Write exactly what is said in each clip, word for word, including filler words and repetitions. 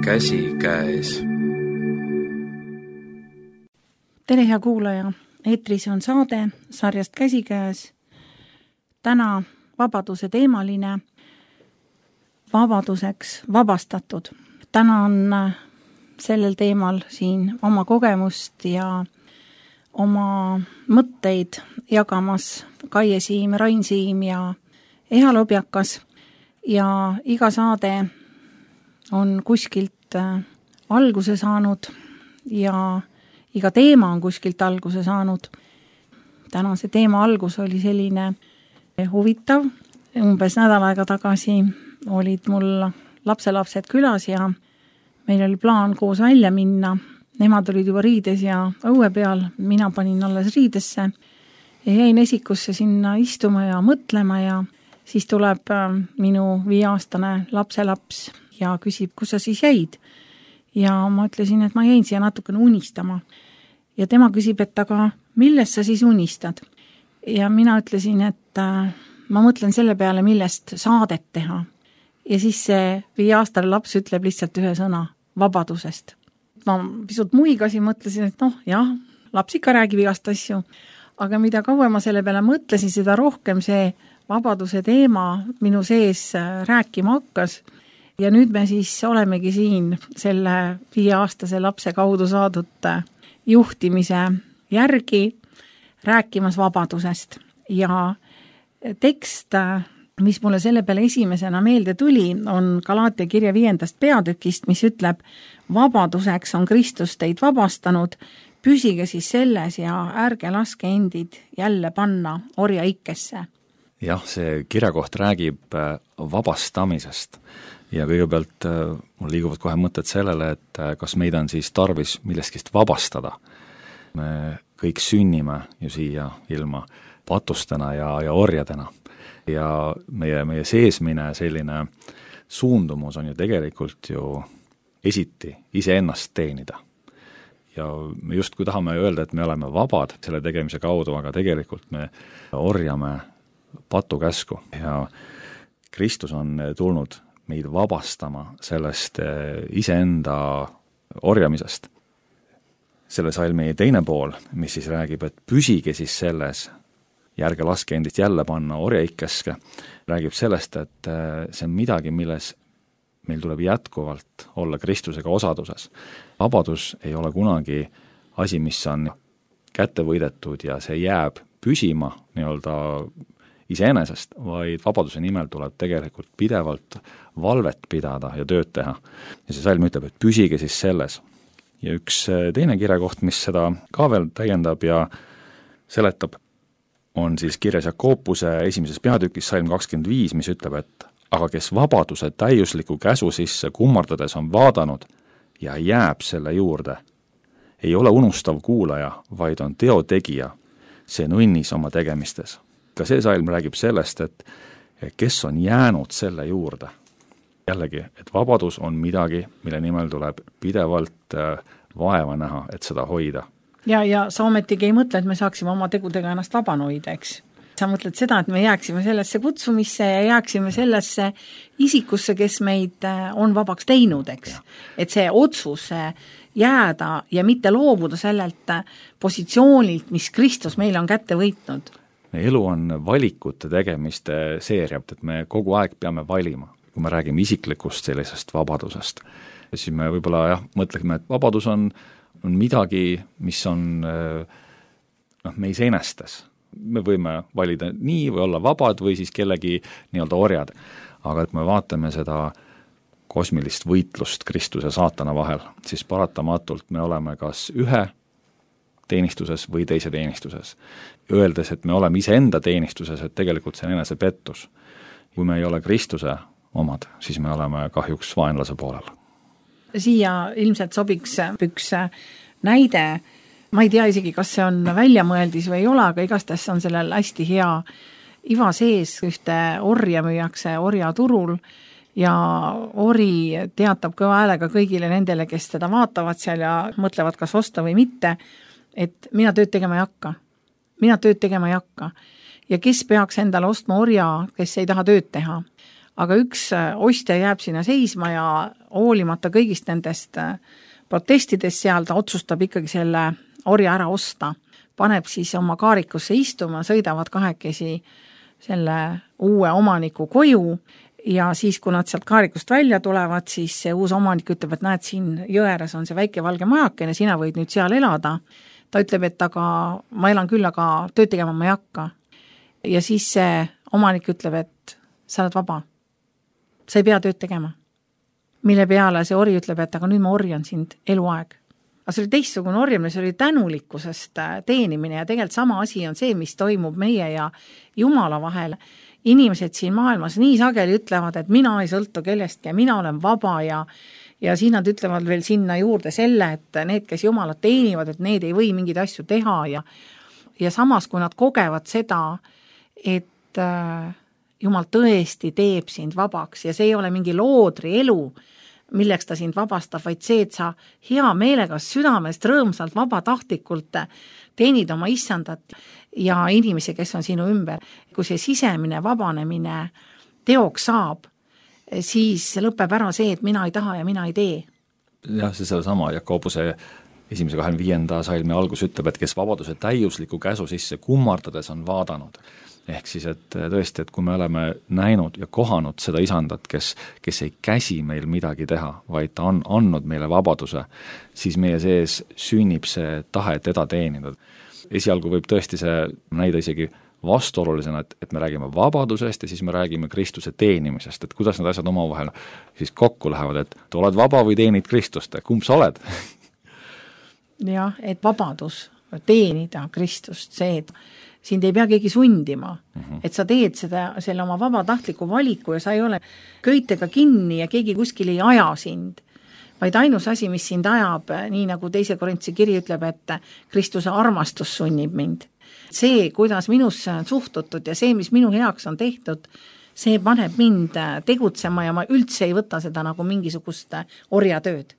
käsikäes. Tere, hea kuulaja! Eetris on saade sarjast Käsikäes. Täna vabaduse teemaline, vabaduseks vabastatud. Täna on sellel teemal siin oma kogemust ja oma mõtteid jagamas Kaie Siim, Rain Siim ja Eha Lobjakas. Ja iga saade on kuskilt alguse saanud ja iga teema on kuskilt alguse saanud. Tänase teema algus oli selline huvitav. Umbes nädal aega tagasi olid mul lapselapsed külas ja meil oli plaan koos välja minna. Nemad olid juba riides ja õue peal, mina panin alles riidesse ja jäin esikusse sinna istuma ja mõtlema ja siis tuleb minu viieaastane lapselaps ja küsib, kus sa siis jäid. Ja ma ütlesin, et ma jäin siia natukene unistama. Ja tema küsib, et aga millest sa siis unistad? Ja mina ütlesin, et ma mõtlen selle peale, millest saadet teha. Ja siis see viieaastane laps ütleb lihtsalt ühe sõna, vabadusest. Ma pisut muigasin, mõtlesin, et noh, jah, laps ikka räägib igast asju, aga mida kauem ma selle peale mõtlesin, seda rohkem see vabaduse teema minu sees rääkima hakkas. Ja nüüd me siis olemegi siin selle viieaastase lapse kaudu saadud juhtimise järgi rääkimas vabadusest. Ja tekst, mis mulle selle peale esimesena meelde tuli, on Galaatia kirja viiendast peatükist, mis ütleb, vabaduseks on Kristus teid vabastanud, püsige siis selles ja ärge laske endid jälle panna orja ikkesse. Jah, see kirjakoht räägib vabastamisest ja kõigepealt mul liiguvad kohe mõtted sellele, et kas meid on siis tarvis milleskist vabastada. Me kõik sünnime ju siia ilma patustena ja, ja orjadena. Ja meie, meie seesmine selline suundumus on ju tegelikult ju esiti iseennast teenida. Ja me justkui tahame öelda, et me oleme vabad selle tegemise kaudu, aga tegelikult me orjame patukäsku ja Kristus on tulnud meid vabastama sellest iseenda orjamisest. Selle salmi teine pool, mis siis räägib, et püsige siis selles, järge laske endist jälle panna orjaikkeske, räägib sellest, et see on midagi, milles meil tuleb jätkuvalt olla Kristusega osaduses. Vabadus ei ole kunagi asi, mis on kätte võidetud ja see jääb püsima nii-öelda iseenesest, vaid vabaduse nimel tuleb tegelikult pidevalt valvet pidada ja tööd teha. Ja see salm ütleb, et püsige siis selles. Ja üks teine kirjakoht, mis seda ka veel täiendab ja seletab, on siis kirjas Jakobuse esimeses peatükis salm kakskümmend viis, mis ütleb, et aga kes vabaduse täiusliku käsu sisse kummardades on vaadanud ja jääb selle juurde, ei ole unustav kuulaja, vaid on teotegija, see on õnnis oma tegemistes. Ka see salm räägib sellest, et kes on jäänud selle juurde. Jällegi, et vabadus on midagi, mille nimel tuleb pidevalt vaeva näha, et seda hoida. Ja, ja sa ometigi ei mõtle, et me saaksime oma tegudega ennast vabana hoida, eks? Sa mõtled seda, et me jääksime sellesse kutsumisse ja jääksime sellesse isikusse, kes meid on vabaks teinud, eks? Et see otsus jääda ja mitte loobuda sellelt positsioonilt, mis Kristus meile on kätte võitnud. Meie elu on valikute tegemiste seeria, et me kogu aeg peame valima. Kui me räägime isiklikust sellisest vabadusest, siis me võib-olla jah, mõtleme, et vabadus on, on midagi, mis on noh, me iseenestes. Me võime valida nii või olla vabad või siis kellegi nii-öelda orjad. Aga et me vaatame seda kosmilist võitlust Kristuse ja saatana vahel, siis paratamatult me oleme kas ühe teenistuses või teise teenistuses. Öeldes, et me oleme iseenda teenistuses, et tegelikult see on enese pettus. Kui me ei ole Kristuse omad, siis me oleme kahjuks vaenlase poolel. Siia ilmselt sobiks üks näide, ma ei tea isegi, kas see on väljamõeldis või ei ole, aga igastahes on sellel hästi hea iva sees, ühte orja müüakse orjaturul ja ori teatab kõva häälega kõigile nendele, kes teda vaatavad seal ja mõtlevad, kas osta või mitte, et mina tööd tegema ei hakka. Mina tööd tegema ei hakka. Ja kes peaks endale ostma orja, kes ei taha tööd teha. aga üks ostja jääb sinna seisma ja hoolimata kõigist nendest protestidest seal ta otsustab ikkagi selle orja ära osta. Paneb siis oma kaarikusse istuma, sõidavad kahekesi selle uue omaniku koju ja siis, kui nad sealt kaarikust välja tulevad, siis see uus omanik ütleb, et näed, siin jõeres on see väike valge majakene, sina võid nüüd seal elada. Ta ütleb, et aga ma elan küll, aga tööd tegema ma ei hakka. Ja siis see omanik ütleb, et sa oled vaba. Sa ei pea tööd tegema. Mille peale see ori ütleb, et aga nüüd ma orjan sind eluaeg. Aga see oli teistsugune orjamine, see oli tänulikkusest teenimine ja tegelikult sama asi on see, mis toimub meie ja Jumala vahel. Inimesed siin maailmas nii sageli ütlevad, et mina ei sõltu kellestki ja mina olen vaba ja ja siin nad ütlevad veel sinna juurde selle, et need, kes Jumalat teenivad, et need ei või mingeid asju teha ja ja samas, kui nad kogevad seda, et Jumal tõesti teeb sind vabaks ja see ei ole mingi loodri elu, milleks ta sind vabastab, vaid see, et sa hea meelega südamest rõõmsalt vabatahtlikult teenid oma issandat ja inimesi, kes on sinu ümber. Kui see sisemine vabanemine teoks saab, siis lõpeb ära see, et mina ei taha ja mina ei tee. Jah, see selle sama Jakobuse esimese kahekümne viienda salmi algus ütleb, et kes vabaduse täiusliku käsu sisse kummardades on vaadanud. Ehk siis, et tõesti, et kui me oleme näinud ja kohanud seda isandat, kes, kes ei käsi meil midagi teha, vaid ta on andnud meile vabaduse, siis meie sees sünnib see tahe teda teenida. Esialgu võib tõesti see näida isegi vastuolulisena, et, et me räägime vabadusest ja siis me räägime Kristuse teenimisest, et kuidas need asjad omavahel siis kokku lähevad, et tu oled vaba või teenid Kristust, kumb sa oled? Jah, et vabadus teenida Kristust, see, et sind ei pea keegi sundima, mm -hmm. et sa teed seda, selle oma vabatahtliku valiku ja sa ei ole köitega kinni ja keegi kuskil ei aja sind, vaid ainus asi, mis sind ajab, nii nagu teise Korintuse kiri ütleb, et Kristuse armastus sunnib mind. See, kuidas minusse on suhtutud ja see, mis minu heaks on tehtud, see paneb mind tegutsema ja ma üldse ei võta seda nagu mingisugust orjatööd.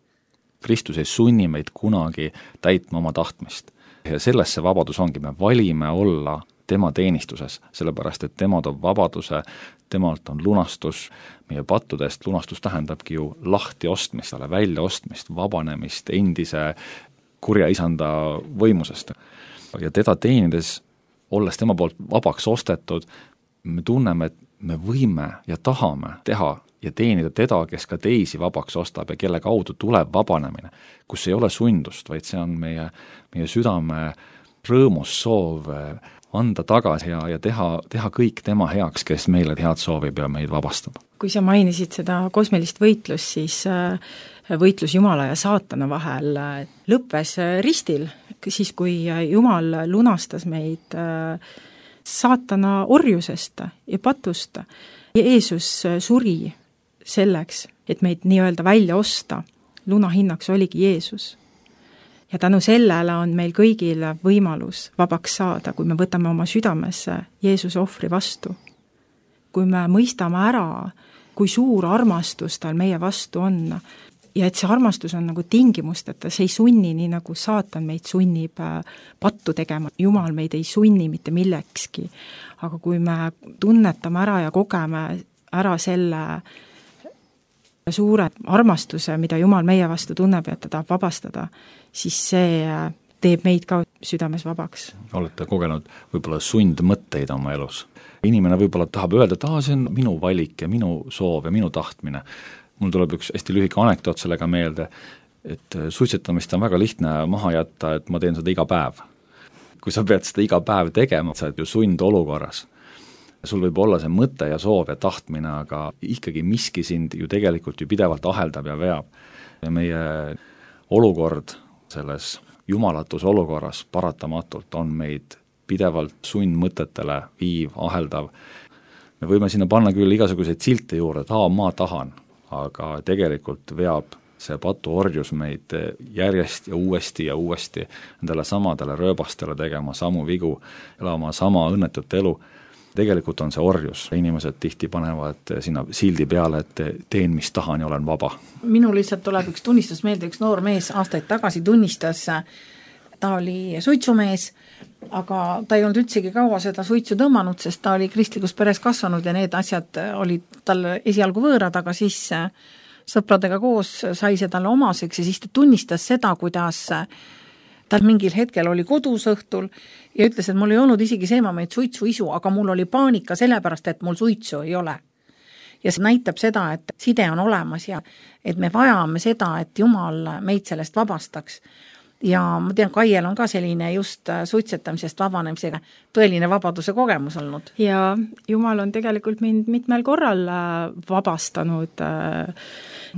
Kristus ei sunni meid kunagi täitma oma tahtmist. Ja selles see vabadus ongi, me valime olla tema teenistuses, sellepärast et tema toob vabaduse, temalt on lunastus, meie pattudest lunastus tähendabki ju lahti ostmist, välja ostmist, vabanemist endise kurja isanda võimusest. Ja teda teenides, olles tema poolt vabaks ostetud, me tunneme, et me võime ja tahame teha ja teenida teda, kes ka teisi vabaks ostab ja kelle kaudu tuleb vabanemine, kus ei ole sundust, vaid see on meie, meie südame rõõmus soov anda tagasi ja, ja teha, teha kõik tema heaks, kes meile head soovib ja meid vabastab. Kui sa mainisid seda kosmilist võitlust, siis võitlus Jumala ja saatana vahel lõppes ristil, siis kui Jumal lunastas meid saatana orjusest ja patust. Jeesus suri selleks, et meid nii-öelda välja osta. Lunahinnaks oligi Jeesus. Ja tänu sellele on meil kõigil võimalus vabaks saada, kui me võtame oma südamesse Jeesuse ohvri vastu. Kui me mõistame ära, kui suur armastus tal meie vastu on ja et see armastus on nagu tingimusteta, see ei sunni nii nagu saatan meid sunnib pattu tegema. Jumal meid ei sunni mitte millekski, aga kui me tunnetame ära ja kogeme ära selle suure armastuse, mida Jumal meie vastu tunneb ja ta tahab vabastada, siis see teeb meid ka südames vabaks. Olete kogenud võib-olla sundmõtteid oma elus. Inimene võib-olla tahab öelda, et ah, see on minu valik ja minu soov ja minu tahtmine. Mul tuleb üks hästi lühike anekdoot sellega meelde, et suitsetamist on väga lihtne maha jätta, et ma teen seda iga päev. Kui sa pead seda iga päev tegema, sa oled ju sund olukorras. Sul võib olla see mõte ja soov ja tahtmine, aga ikkagi miski sind ju tegelikult ju pidevalt aheldab ja veab. Ja meie olukord selles jumalatus olukorras paratamatult on meid pidevalt sundmõtetele viiv, aheldav. Me võime sinna panna küll igasuguseid silte juurde, et aa, ma tahan, aga tegelikult veab see patuorjus meid järjest ja uuesti ja uuesti endale samadele rööbastele tegema samu vigu, elama sama õnnetut elu. Tegelikult on see orjus. Inimesed tihti panevad sinna sildi peale, et teen, mis tahan ja olen vaba. Minul lihtsalt tuleb üks tunnistus meelde, üks noor mees aastaid tagasi tunnistas, ta oli suitsumees aga ta ei olnud üldsegi kaua seda suitsu tõmmanud, sest ta oli kristlikus peres kasvanud ja need asjad olid talle esialgu võõrad, aga siis sõpradega koos sai see talle omaseks ja siis ta tunnistas seda, kuidas ta mingil hetkel oli kodus õhtul ja ütles, et mul ei olnud isegi seemameid suitsuisu, aga mul oli paanika sellepärast, et mul suitsu ei ole. Ja see näitab seda, et side on olemas ja et me vajame seda, et Jumal meid sellest vabastaks. Ja ma tean, Kaiel on ka selline just suitsetamisest vabanemisega tõeline vabaduse kogemus olnud. Ja Jumal on tegelikult mind mitmel korral vabastanud.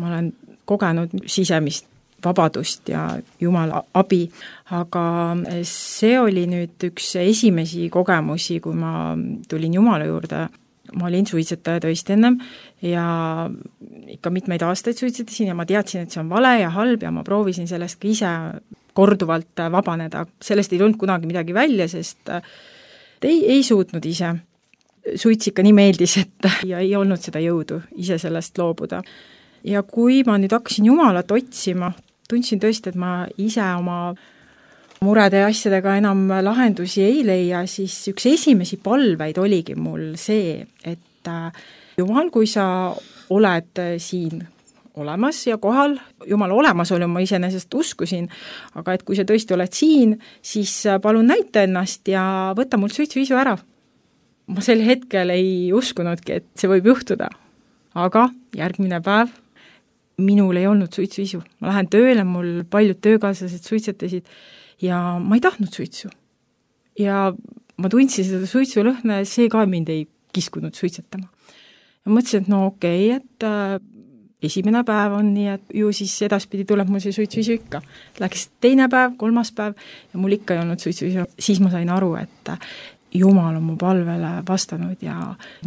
Ma olen kogenud sisemist vabadust ja Jumala abi, aga see oli nüüd üks esimesi kogemusi, kui ma tulin Jumala juurde. Ma olin suitsetaja tõesti ennem ja ikka mitmeid aastaid suitsetasin ja ma teadsin, et see on vale ja halb ja ma proovisin sellest ka ise korduvalt vabaneda. Sellest ei tulnud kunagi midagi välja, sest ei, ei suutnud ise. Suits ikka nii meeldis, et ja ei olnud seda jõudu ise sellest loobuda. Ja kui ma nüüd hakkasin Jumalat otsima, tundsin tõesti, et ma ise oma murede ja asjadega enam lahendusi ei leia, siis üks esimesi palveid oligi mul see, et Jumal, kui sa oled siin olemas ja kohal, Jumala olemasolu ma iseenesest uskusin, aga et kui sa tõesti oled siin, siis palun näita ennast ja võta mul suitsuisu ära. Ma sel hetkel ei uskunudki, et see võib juhtuda, aga järgmine päev minul ei olnud suitsuisu. Ma lähen tööle, mul paljud töökaaslased suitsetasid ja ma ei tahtnud suitsu. Ja ma tundsin seda suitsulõhna ja see ka mind ei kiskunud suitsetama. Ja mõtlesin, et no okei, okay, et äh, esimene päev on nii, et ju siis edaspidi tuleb mul see suitsuisu ikka. Läks teine päev, kolmas päev ja mul ikka ei olnud suitsuisu. Siis ma sain aru, et Jumal on mu palvele vastanud ja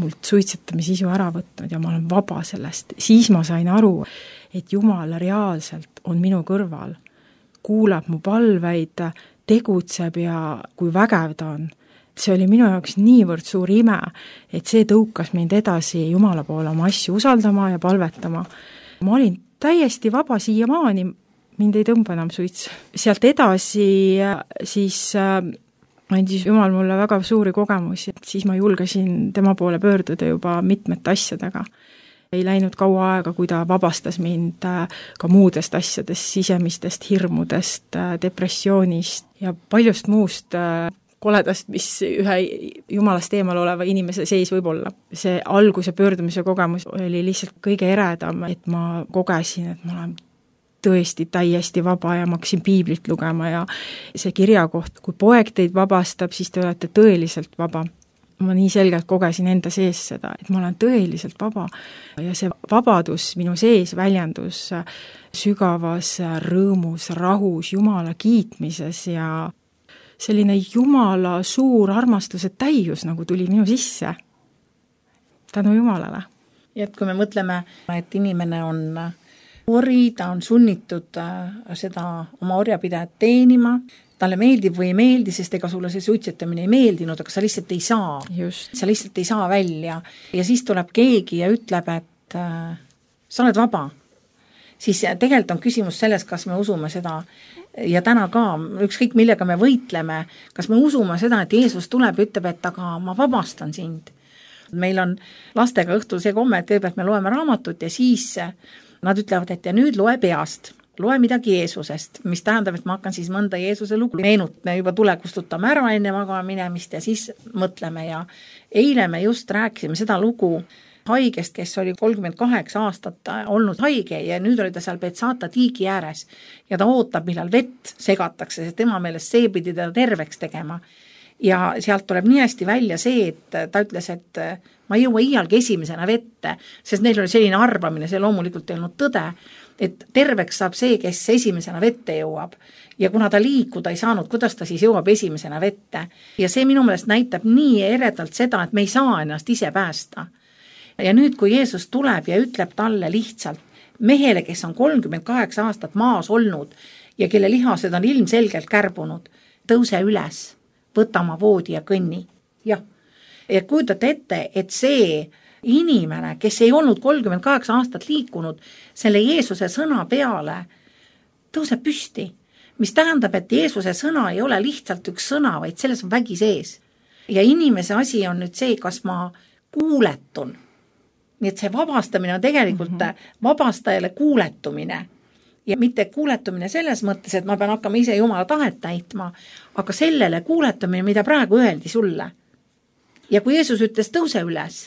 mult suitsetamisisu ära võtnud ja ma olen vaba sellest. Siis ma sain aru, et Jumal reaalselt on minu kõrval, kuulab mu palveid, tegutseb ja kui vägev ta on. See oli minu jaoks niivõrd suur ime, et see tõukas mind edasi Jumala poole oma asju usaldama ja palvetama. Ma olin täiesti vaba siiamaani, mind ei tõmba enam suits. Sealt edasi siis andis Jumal mulle väga suuri kogemusi, siis ma julgesin tema poole pöörduda juba mitmete asjadega. Ei läinud kaua aega, kui ta vabastas mind ka muudest asjadest, sisemistest hirmudest, depressioonist ja paljust muust koledast, mis ühe Jumalast eemal oleva inimese sees võib olla. See alguse pöördumise kogemus oli lihtsalt kõige eredam, et ma kogesin, et ma olen tõesti täiesti vaba ja ma hakkasin piiblit lugema ja see kirjakoht, kui poeg teid vabastab, siis te olete tõeliselt vaba. Ma nii selgelt kogesin enda sees seda, et ma olen tõeliselt vaba ja see vabadus minu sees väljendus sügavas rõõmus, rahus, Jumala kiitmises ja selline Jumala suur armastuse täius nagu tuli minu sisse tänu Jumalale. Ja et kui me mõtleme, et inimene on ori, ta on sunnitud seda oma orjapidajat teenima, talle meeldib või ei meeldi, sest ega sulle see suitsetamine ei meeldinud, aga sa lihtsalt ei saa. Just. Sa lihtsalt ei saa välja. Ja siis tuleb keegi ja ütleb, et äh, sa oled vaba. Siis tegelikult on küsimus selles, kas me usume seda ja täna ka, ükskõik millega me võitleme, kas me usume seda, et Jeesus tuleb ja ütleb, et aga ma vabastan sind. Meil on lastega õhtul see komme, et kõigepealt me loeme raamatut ja siis nad ütlevad, et ja nüüd loe peast. Loe midagi Jeesusest, mis tähendab, et ma hakkan siis mõnda Jeesuse lugu meenut, me juba tule kustutame ära enne magama minemist ja siis mõtleme ja eile me just rääkisime seda lugu haigest, kes oli kolmkümmend kaheksa aastat olnud haige ja nüüd oli ta seal Betsata tiigi ääres ja ta ootab, millal vett segatakse, sest tema meelest see pidi teda terveks tegema. Ja sealt tuleb nii hästi välja see, et ta ütles, et ma ei jõua iialgi esimesena vette, sest neil oli selline arvamine, see loomulikult ei olnud tõde, et terveks saab see, kes esimesena vette jõuab. Ja kuna ta liikuda ei saanud, kuidas ta siis jõuab esimesena vette. Ja see minu meelest näitab nii eredalt seda, et me ei saa ennast ise päästa. Ja nüüd, kui Jeesus tuleb ja ütleb talle lihtsalt, mehele, kes on kolmkümmend kaheksa aastat maas olnud ja kelle lihased on ilmselgelt kärbunud, tõuse üles, võta oma voodi ja kõnni. Jah. Ja kujutate ette, et see inimene, kes ei olnud kolmkümmend kaheksa aastat liikunud, selle Jeesuse sõna peale tõuseb püsti. mis tähendab, et Jeesuse sõna ei ole lihtsalt üks sõna, vaid selles on vägi sees. Ja inimese asi on nüüd see, kas ma kuuletun. Nii et see vabastamine on tegelikult mm-hmm. vabastajale kuuletumine. Ja mitte kuuletumine selles mõttes, et ma pean hakkama ise Jumala tahet täitma, aga sellele kuuletumine, mida praegu öeldi sulle. Ja kui Jeesus ütles tõuse üles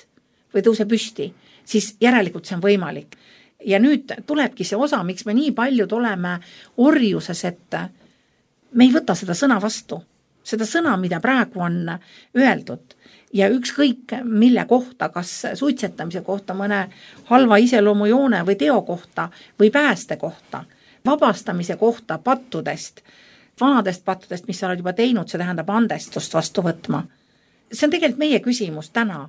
või tõuse püsti, siis järelikult see on võimalik. Ja nüüd tulebki see osa, miks me nii paljud oleme orjuses, et me ei võta seda sõna vastu. Seda sõna, mida praegu on öeldud. Ja ükskõik mille kohta, kas suitsetamise kohta, mõne halva iseloomujoone või teo kohta või pääste kohta, vabastamise kohta pattudest, vanadest pattudest, mis sa oled juba teinud, see tähendab andestust vastu võtma. See on tegelikult meie küsimus täna.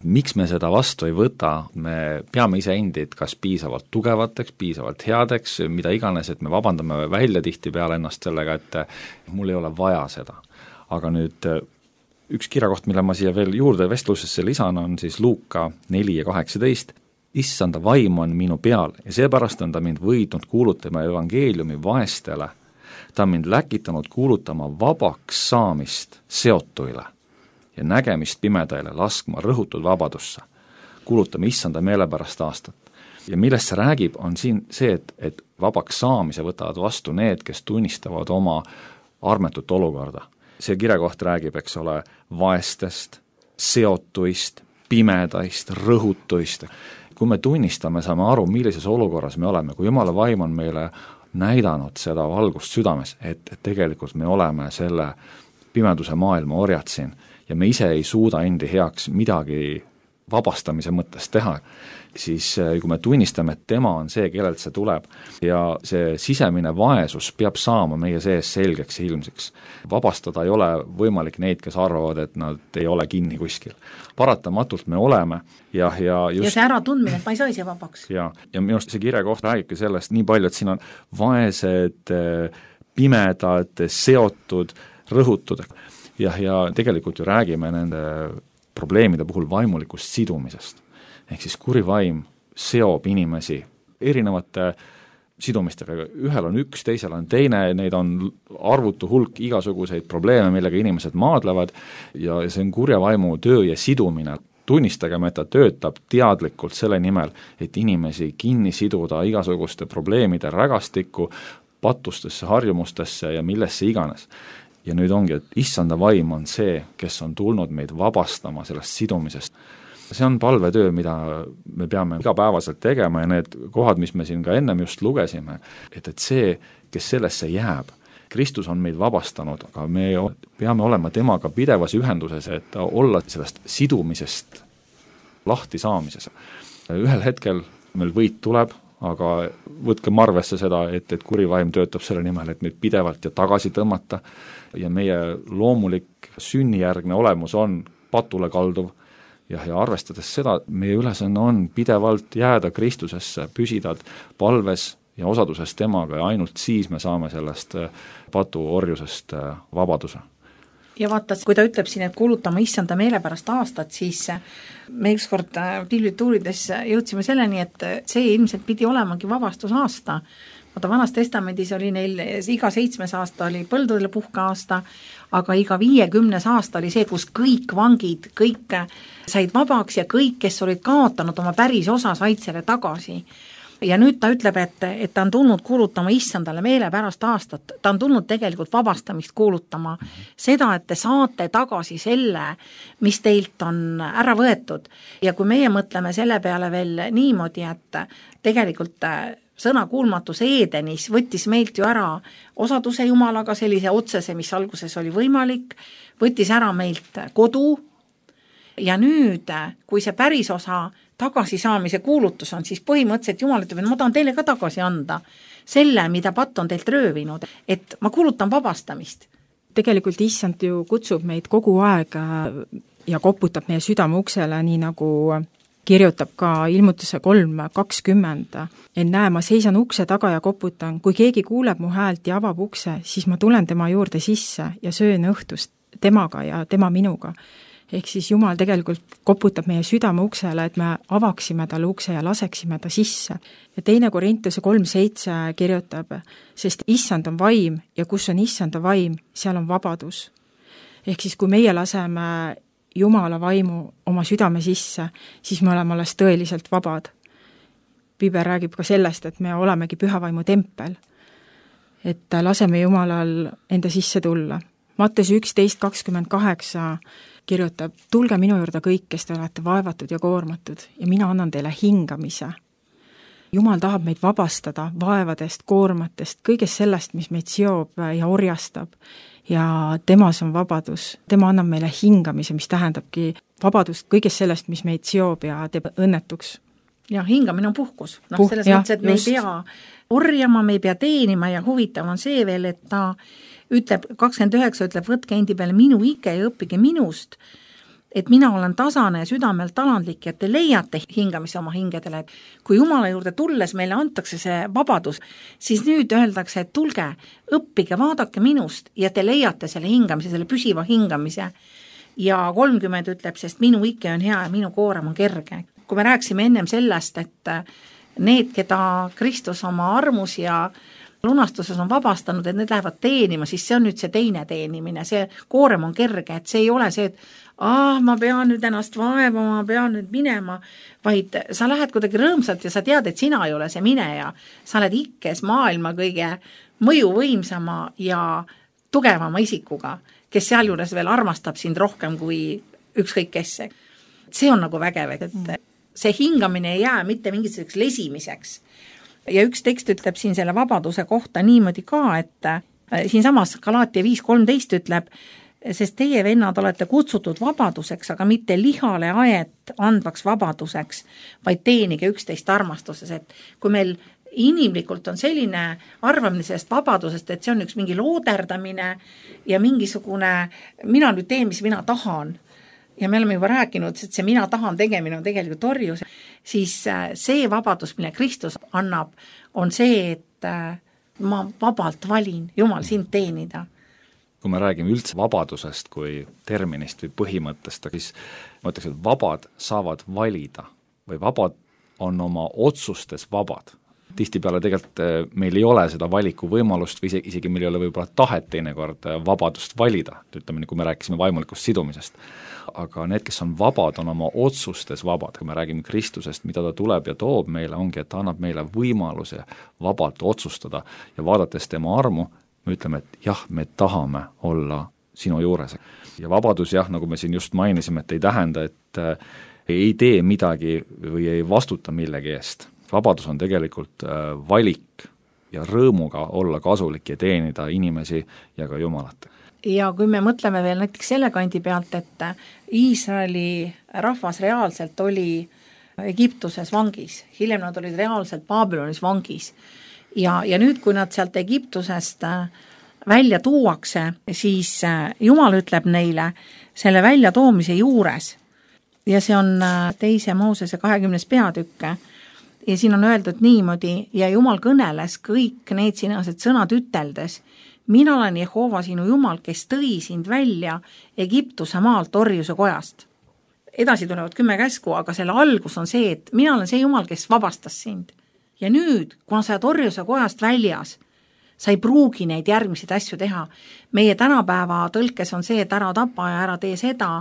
Miks me seda vastu ei võta, me peame ise endid kas piisavalt tugevateks, piisavalt headeks, mida iganes, et me vabandame välja tihti peale ennast sellega, et mul ei ole vaja seda. Aga nüüd üks kirjakoht, mille ma siia veel juurde vestlusesse lisan, on siis Luuka neli ja kaheksateist. Issanda vaim on minu peal ja seepärast on ta mind võidnud kuulutama evangeeliumi vaestele. Ta on mind läkitanud kuulutama vabaks saamist seotuile ja nägemist pimedaile laskma rõhutud vabadusse. Kuulutame issanda meelepärast aastat. Ja millest see räägib, on siin see, et, et vabaks saamise võtavad vastu need, kes tunnistavad oma armetut olukorda. See kirjakoht räägib, eks ole, vaestest, seotuist, pimedaist, rõhutuist. Kui me tunnistame, saame aru, millises olukorras me oleme, kui Jumala vaim on meile näidanud seda valgust südames, et, et tegelikult me oleme selle pimeduse maailma orjad siin ja me ise ei suuda endi heaks midagi vabastamise mõttes teha, siis kui me tunnistame, et tema on see, kellelt see tuleb ja see sisemine vaesus peab saama meie sees selgeks ja ilmseks. Vabastada ei ole võimalik neid, kes arvavad, et nad ei ole kinni kuskil. Paratamatult me oleme ja, ja just... Ja see äratundmine, et ma ei saa ise vabaks. Ja, ja minu arust see kirjakoht räägibki sellest nii palju, et siin on vaesed, pimedad, seotud, rõhutud ja, ja tegelikult ju räägime nende probleemide puhul vaimulikust sidumisest. Ehk siis kuri vaim seob inimesi erinevate sidumistega. Ühel on üks, teisel on teine, neid on arvutu hulk igasuguseid probleeme, millega inimesed maadlevad ja see on kurja vaimu töö ja sidumine. Tunnistagem, et ta töötab teadlikult selle nimel, et inimesi kinni siduda igasuguste probleemide rägastikku, patustesse, harjumustesse ja millesse iganes. Ja nüüd ongi, et issanda vaim on see, kes on tulnud meid vabastama sellest sidumisest. See on palvetöö, mida me peame igapäevaselt tegema ja need kohad, mis me siin ka ennem just lugesime, et, et see, kes sellesse jääb, Kristus on meid vabastanud, aga me peame olema temaga pidevas ühenduses, et olla sellest sidumisest lahti saamises. Ühel hetkel meil võit tuleb, aga võtkem arvesse seda, et, et kuri vaim töötab selle nimel, et meid pidevalt ja tagasi tõmmata ja meie loomulik sünnijärgne olemus on patule kalduv ja, ja arvestades seda, meie ülesanne on pidevalt jääda Kristusesse, püsida palves ja osaduses temaga ja ainult siis me saame sellest patuorjusest vabaduse. Ja vaata, kui ta ütleb siin, et kuulutama issanda meelepärast aastat, siis me ükskord piblituurides jõudsime selleni, et see ilmselt pidi olemagi vabastusaasta. Vaata, Vanas testamendis oli neil, iga seitsmes aasta oli põldudele puhkeaasta, aga iga viiekümnes aasta oli see, kus kõik vangid, kõik said vabaks ja kõik, kes olid kaotanud oma päris osa, said selle tagasi. Ja nüüd ta ütleb, et, et ta on tulnud kuulutama issandale meelepärast aastat, ta on tulnud tegelikult vabastamist kuulutama, seda, et te saate tagasi selle, mis teilt on ära võetud. Ja kui meie mõtleme selle peale veel niimoodi, et tegelikult sõna kuulmatus Edenis võttis meilt ju ära osaduse Jumalaga, sellise otsese, mis alguses oli võimalik, võttis ära meilt kodu ja nüüd, kui see päris osa tagasisaamise kuulutus on, siis põhimõtteliselt Jumal ütleb, et ma tahan teile ka tagasi anda selle, mida patt on teilt röövinud, et ma kuulutan vabastamist. Tegelikult issand ju kutsub meid kogu aeg ja koputab meie südame uksele, nii nagu kirjutab ka ilmutuse kolm kakskümmend. En näe, ma seisan ukse taga ja koputan, kui keegi kuuleb mu häält ja avab ukse, siis ma tulen tema juurde sisse ja söön õhtust temaga ja tema minuga. ehk siis Jumal tegelikult koputab meie südame uksele, et me avaksime talle ukse ja laseksime ta sisse. Ja teine Korintuse kolm seitse kirjutab, sest issand on vaim ja kus on issanda vaim, seal on vabadus. Ehk siis kui meie laseme Jumala vaimu oma südame sisse, siis me oleme alles tõeliselt vabad. Piibel räägib ka sellest, et me olemegi pühavaimu tempel, et laseme Jumalal enda sisse tulla. Matteus üksteist kakskümmend kaheksa kirjutab, tulge minu juurde kõik, kes te olete vaevatud ja koormatud ja mina annan teile hingamise. Jumal tahab meid vabastada vaevadest, koormatest, kõigest sellest, mis meid seob ja orjastab ja temas on vabadus. Tema annab meile hingamise, mis tähendabki vabadust kõigest sellest, mis meid seob ja teeb õnnetuks. Ja hingamine on puhkus. No, Puh, selles jah, mõttes, et me just. ei pea orjama, me ei pea teenima ja huvitav on see veel, et ta ütleb, kakskümmend üheksa ütleb, võtke endi peale minu ike ja õppige minust, et mina olen tasane ja südamelt talandlik ja te leiate hingamise oma hingedele. Kui Jumala juurde tulles meile antakse see vabadus, siis nüüd öeldakse, et tulge, õppige, vaadake minust ja te leiate selle hingamise, selle püsiva hingamise. Ja kolmkümmend ütleb, sest minu ike on hea ja minu koorem on kerge. Kui me rääksime ennem sellest, et need, keda Kristus oma armus ja lunastuses on vabastanud, et need lähevad teenima, siis see on nüüd see teine teenimine, see koorem on kerge, et see ei ole see, et ah, ma pean nüüd ennast vaevama, ma pean nüüd minema, vaid sa lähed kuidagi rõõmsalt ja sa tead, et sina ei ole see mineja, sa oled ikkes maailma kõige mõjuvõimsama ja tugevama isikuga, kes sealjuures veel armastab sind rohkem kui ükskõik kes. See on nagu vägev, et see hingamine ei jää mitte mingisuguseks lesimiseks. Ja üks tekst ütleb siin selle vabaduse kohta niimoodi ka, et siin samas Galaatia viis kolmteist ütleb, sest teie vennad olete kutsutud vabaduseks, aga mitte lihale aet andvaks vabaduseks, vaid teenige üksteist armastuses, et kui meil inimlikult on selline arvamine sellest vabadusest, et see on üks mingi looderdamine ja mingisugune, mina nüüd teen, mis mina tahan, ja me oleme juba rääkinud, et see mina tahan tegemine on tegelikult orjus, siis see vabadus, mille Kristus annab, on see, et ma vabalt valin Jumal sind teenida. Kui me räägime üldse vabadusest kui terminist või põhimõttest, siis ma ütleks, et vabad saavad valida või vabad on oma otsustes vabad. Tihtipeale tegelikult meil ei ole seda valiku võimalust või isegi meil ei ole võib-olla tahet teinekord vabadust valida, ütleme, kui me rääkisime vaimulikust sidumisest. Aga need, kes on vabad, on oma otsustes vabad. Kui me räägime Kristusest, mida ta tuleb ja toob meile, ongi, et ta annab meile võimaluse vabalt otsustada ja vaadates tema armu, me ütleme, et jah, me tahame olla sinu juures. Ja vabadus, jah, nagu me siin just mainisime, et ei tähenda, et ei tee midagi või ei vastuta millegi eest. Vabadus on tegelikult valik ja rõõmuga olla kasulik ja teenida inimesi ja ka Jumalat. Ja kui me mõtleme veel näiteks selle kandi pealt, et Iisraeli rahvas reaalselt oli Egiptuses vangis, hiljem nad olid reaalselt Baabilonis vangis ja, ja nüüd, kui nad sealt Egiptusest välja tuuakse, siis Jumal ütleb neile selle välja toomise juures ja see on teise Moosese kahekümnes peatükk ja siin on öeldud niimoodi ja Jumal kõneles kõik need sinased sõnad üteldes, mina olen Jehova sinu Jumal, kes tõi sind välja Egiptuse maalt orjuse kojast. Edasi tulevad kümme käsku, aga selle algus on see, et mina olen see Jumal, kes vabastas sind. Ja nüüd, kuna sa oled orjuse kojast väljas, sa ei pruugi neid järgmiseid asju teha. Meie tänapäeva tõlkes on see, et ära tapa ja ära tee seda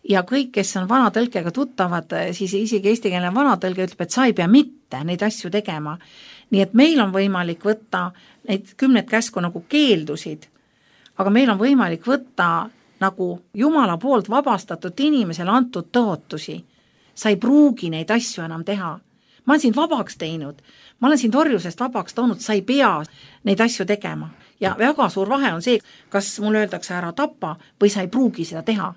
ja kõik, kes on vana tõlkega tuttavad, siis isegi eestikeelne vana tõlge ütleb, et sa ei pea mitte neid asju tegema. Nii et meil on võimalik võtta neid kümnet käsku nagu keeldusid, aga meil on võimalik võtta nagu Jumala poolt vabastatud inimesele antud tõotusi. Sa ei pruugi neid asju enam teha. Ma olen sind vabaks teinud, ma olen sind orjusest vabaks toonud, sa ei pea neid asju tegema. Ja väga suur vahe on see, kas mulle öeldakse ära tapa või sa ei pruugi seda teha.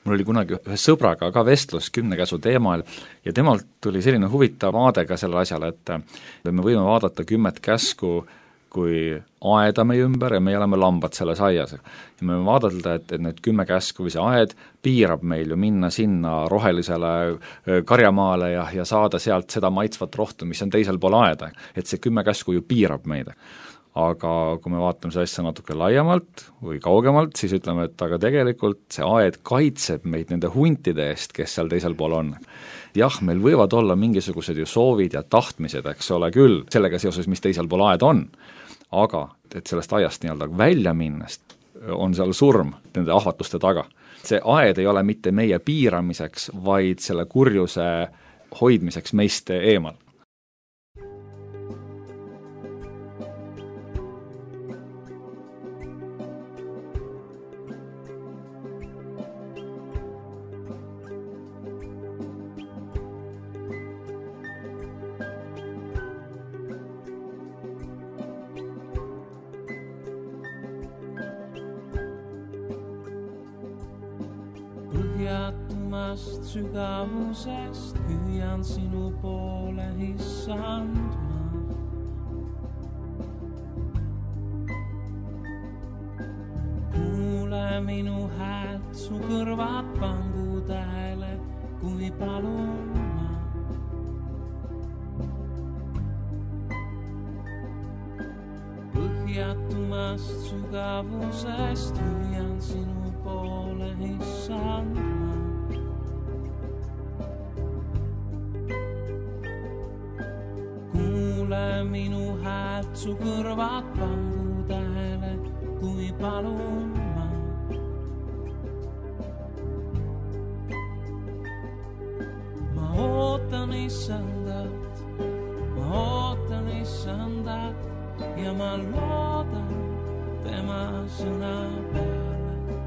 Mul oli kunagi ühe sõbraga ka vestlus kümne käsu teemal ja temalt tuli selline huvitav vaade ka selle asjale, et me võime vaadata kümmet käsku kui aeda meie ümber ja me oleme lambad selles aias. Ja me võime vaadata, et, et need kümme käsku või see aed piirab meil ju minna sinna rohelisele karjamaale ja, ja saada sealt seda maitsvat rohtu, mis on teisel pool aeda. Et see kümme käsku ju piirab meid. aga kui me vaatame see asja natuke laiemalt või kaugemalt, siis ütleme, et aga tegelikult see aed kaitseb meid nende huntide eest, kes seal teisel pool on. Jah, meil võivad olla mingisugused ju soovid ja tahtmised, eks ole küll, sellega seoses, mis teisel pool aed on, aga et sellest aiast nii-öelda välja minnest on seal surm nende ahvatluste taga. See aed ei ole mitte meie piiramiseks, vaid selle kurjuse hoidmiseks meist eemal. Põhjatumast sügavusest hüüan sinu poole issand ma. Kuule minu häält, su kõrvad pangu tähele, kui palun ma. Põhjatumast sügavusest hüüan sinu poole issand ma. Kuule minu häält, su kõrvad pangu tähele, kui palun ma. Ma ootan issandat, ma ootan issandat ja ma loodan tema sõna peale.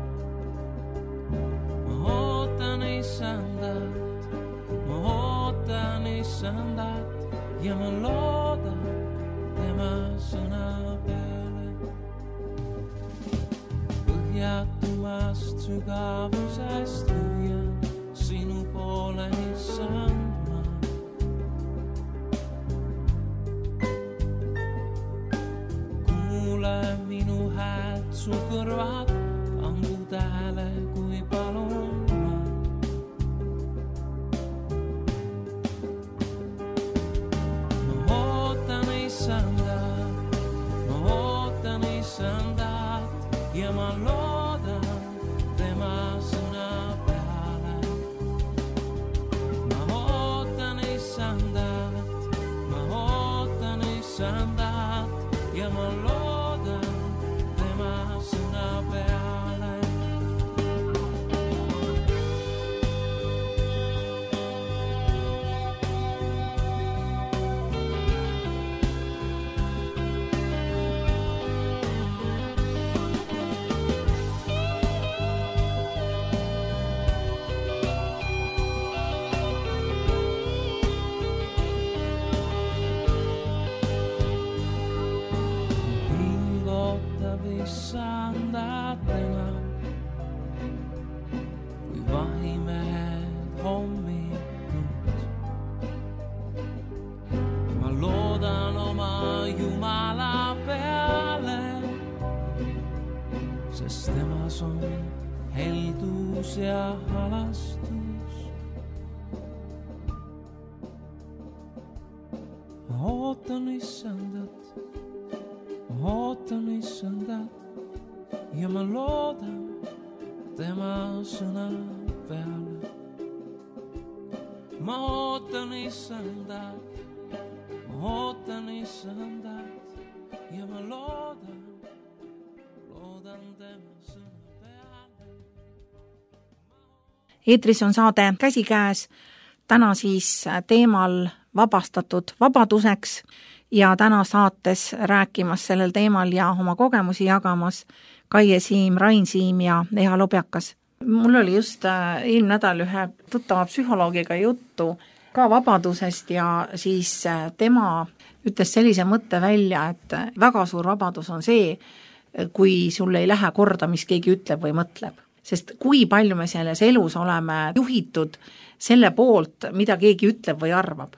Ma ootan issandat, ma ootan issandat ja ma loodan tema sõna peale. Põhjatumast sügavusest hüüan sinu poole issand ma. Kuule minu häält, su kõrvad pangu tähele, kui palun ma. Ma ootan issandat, ma ootan issandat ja ma loodan tema sõna peale. Ma ootan issandat, ma ootan issandat ja ma loodan tema sõna peale. Issandat enam, kui vahimehed hommikut. Ma loodan oma Jumala peale, sest temas on heldus ja halastus. Ma ootan issandat, ma ootan issandat ja ma loodan tema sõna peale. Ma ootan issandat, ma ootan issandat ja ma loodan, loodan tema sõna peale. Eetris on saade Käsikäes, täna siis teemal vabastatud vabaduseks ja täna saates rääkimas sellel teemal ja oma kogemusi jagamas Kaie Siim, Rain Siim ja Eha Lobjakas. Mul oli just eelmine nädal ühe tuttava psühholoogiga juttu ka vabadusest ja siis tema ütles sellise mõtte välja, et väga suur vabadus on see, kui sul ei lähe korda, mis keegi ütleb või mõtleb. Sest kui palju me selles elus oleme juhitud selle poolt, mida keegi ütleb või arvab.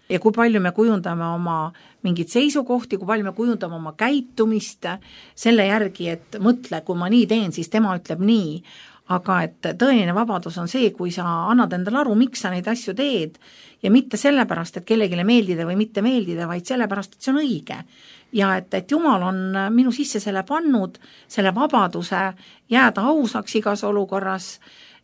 Ja kui palju me kujundame oma mingid seisukohti, kui palju me kujundame oma käitumist selle järgi, et mõtle, kui ma nii teen, siis tema ütleb nii. aga et tõeline vabadus on see, kui sa annad endale aru, miks sa neid asju teed ja mitte sellepärast, et kellegile meeldida või mitte meeldida, vaid sellepärast, et see on õige. Ja et, et Jumal on minu sisse selle pannud, selle vabaduse jääda ausaks igas olukorras,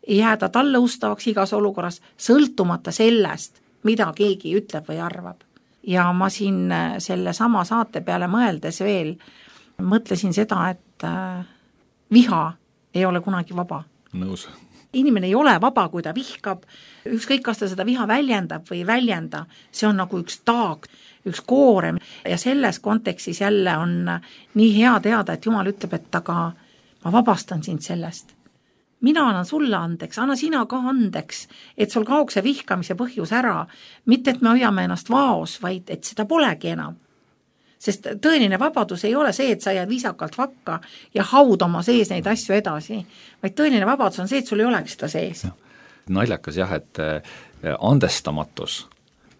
jääda talle ustavaks igas olukorras, sõltumata sellest, mida keegi ütleb või arvab. Ja ma siin selle sama saate peale mõeldes veel mõtlesin seda, et viha ei ole kunagi vaba. Nõus. Inimene ei ole vaba, kui ta vihkab, ükskõik kas ta seda viha väljendab või ei väljenda, see on nagu üks taag, üks koorem ja selles kontekstis jälle on nii hea teada, et Jumal ütleb, et aga ma vabastan sind sellest. Mina annan sulle andeks, anna sina ka andeks, et sul kaoks see vihkamise põhjus ära, mitte et me hoiame ennast vaos, vaid et seda polegi enam. Sest tõeline vabadus ei ole see, et sa jääd viisakalt vakka ja haud oma sees neid asju edasi, vaid tõeline vabadus on see, et sul ei oleks seda sees. Ja. Naljakas jah, et andestamatus,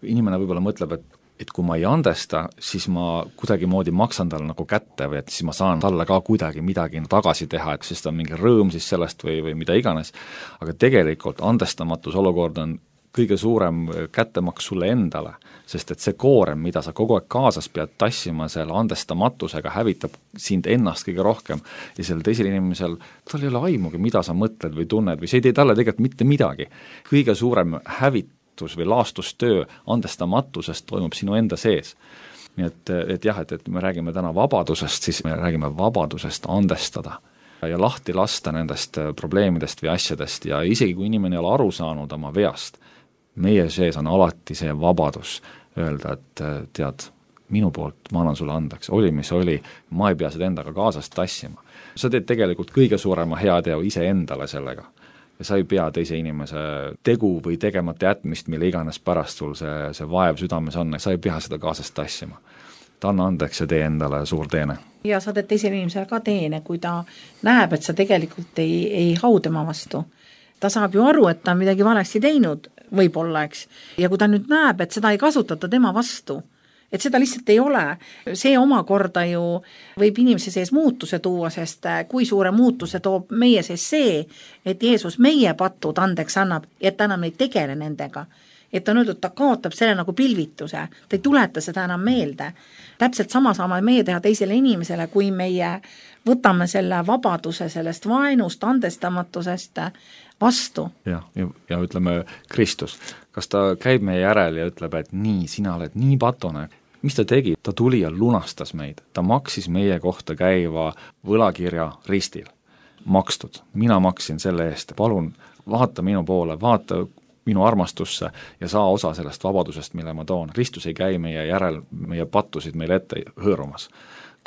inimene võib-olla mõtleb, et, et kui ma ei andesta, siis ma kuidagi moodi maksan talle nagu kätte või et siis ma saan talle ka kuidagi midagi tagasi teha, et siis ta on mingi rõõm siis sellest või, või mida iganes, aga tegelikult andestamatus olukord on kõige suurem kättemaks sulle endale, sest et see koorem, mida sa kogu aeg kaasas pead tassima selle andestamatusega, hävitab sind ennast kõige rohkem ja sellel teisel inimesel, tal ei ole aimugi, mida sa mõtled või tunned või see ei tee talle tegelikult mitte midagi. Kõige suurem hävitus või laastustöö andestamatusest toimub sinu enda sees. Nii et, et jah, et, et me räägime täna vabadusest, siis me räägime vabadusest andestada ja lahti lasta nendest probleemidest või asjadest ja isegi kui inimene ei ole aru saanud oma veast, meie sees on alati see vabadus öelda, et tead, minu poolt ma annan sulle andeks, oli mis oli, ma ei pea seda endaga kaasast tassima. Sa teed tegelikult kõige suurema heateo ise endale sellega ja sa ei pea teise inimese tegu või tegemata jätmist, mille iganes pärast sul see, see vaev südames on, sa ei pea seda kaasast tassima. Ta anna andeks ja tee endale suur teene. Ja sa teed teisele inimesele ka teene, kui ta näeb, et sa tegelikult ei, ei hau tema vastu. Ta saab ju aru, et ta on midagi valesti teinud, võib-olla, eks. Ja kui ta nüüd näeb, et seda ei kasutata tema vastu, et seda lihtsalt ei ole, see omakorda ju võib inimese sees muutuse tuua, sest kui suure muutuse toob meie sees see, et Jeesus meie patud andeks annab ja et ta enam ei tegele nendega. Et on öeldud, ta kaotab selle nagu pilvituse, ta ei tuleta seda enam meelde. Täpselt sama saame meie teha teisele inimesele, kui meie võtame selle vabaduse sellest vaenust, andestamatusest vastu. Ja, ja, ja ütleme Kristus, kas ta käib meie järel ja ütleb, et nii, sina oled nii patune. Mis ta tegi? Ta tuli ja lunastas meid. Ta maksis meie kohta käiva võlakirja ristil. Makstud. Mina maksin selle eest. Palun, vaata minu poole, vaata minu armastusse ja saa osa sellest vabadusest, mille ma toon. Kristus ei käi meie järel, meie pattusid meile ette hõõrumas.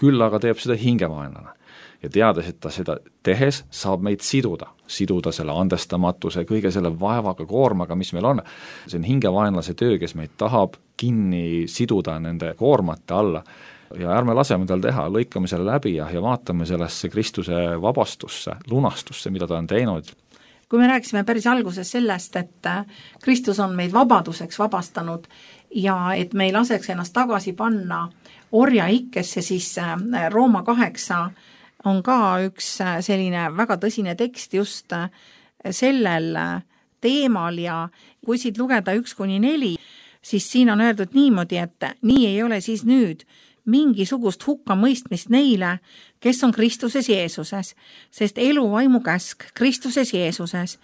Küll aga teeb seda hingevaenlane. Ja teades, et ta seda tehes, saab meid siduda. Siduda selle andestamatuse, kõige selle vaevaga, koormaga, mis meil on. See on hingevaenlase töö, kes meid tahab kinni siduda nende koormate alla. Ja ärme laseme tal teha, lõikame selle läbi ja, ja vaatame sellesse Kristuse vabastusse, lunastusse, mida ta on teinud. Kui me rääkisime päris alguses sellest, et Kristus on meid vabaduseks vabastanud ja et me ei laseks ennast tagasi panna orja ikkesse, siis Rooma kaheksa on ka üks selline väga tõsine tekst just sellel teemal ja kui siit lugeda üks kuni neli, siis siin on öeldud niimoodi, et nii ei ole siis nüüd mingisugust hukkamõistmist neile, kes on Kristuses Jeesuses, sest eluvaimu käsk Kristuses Jeesuses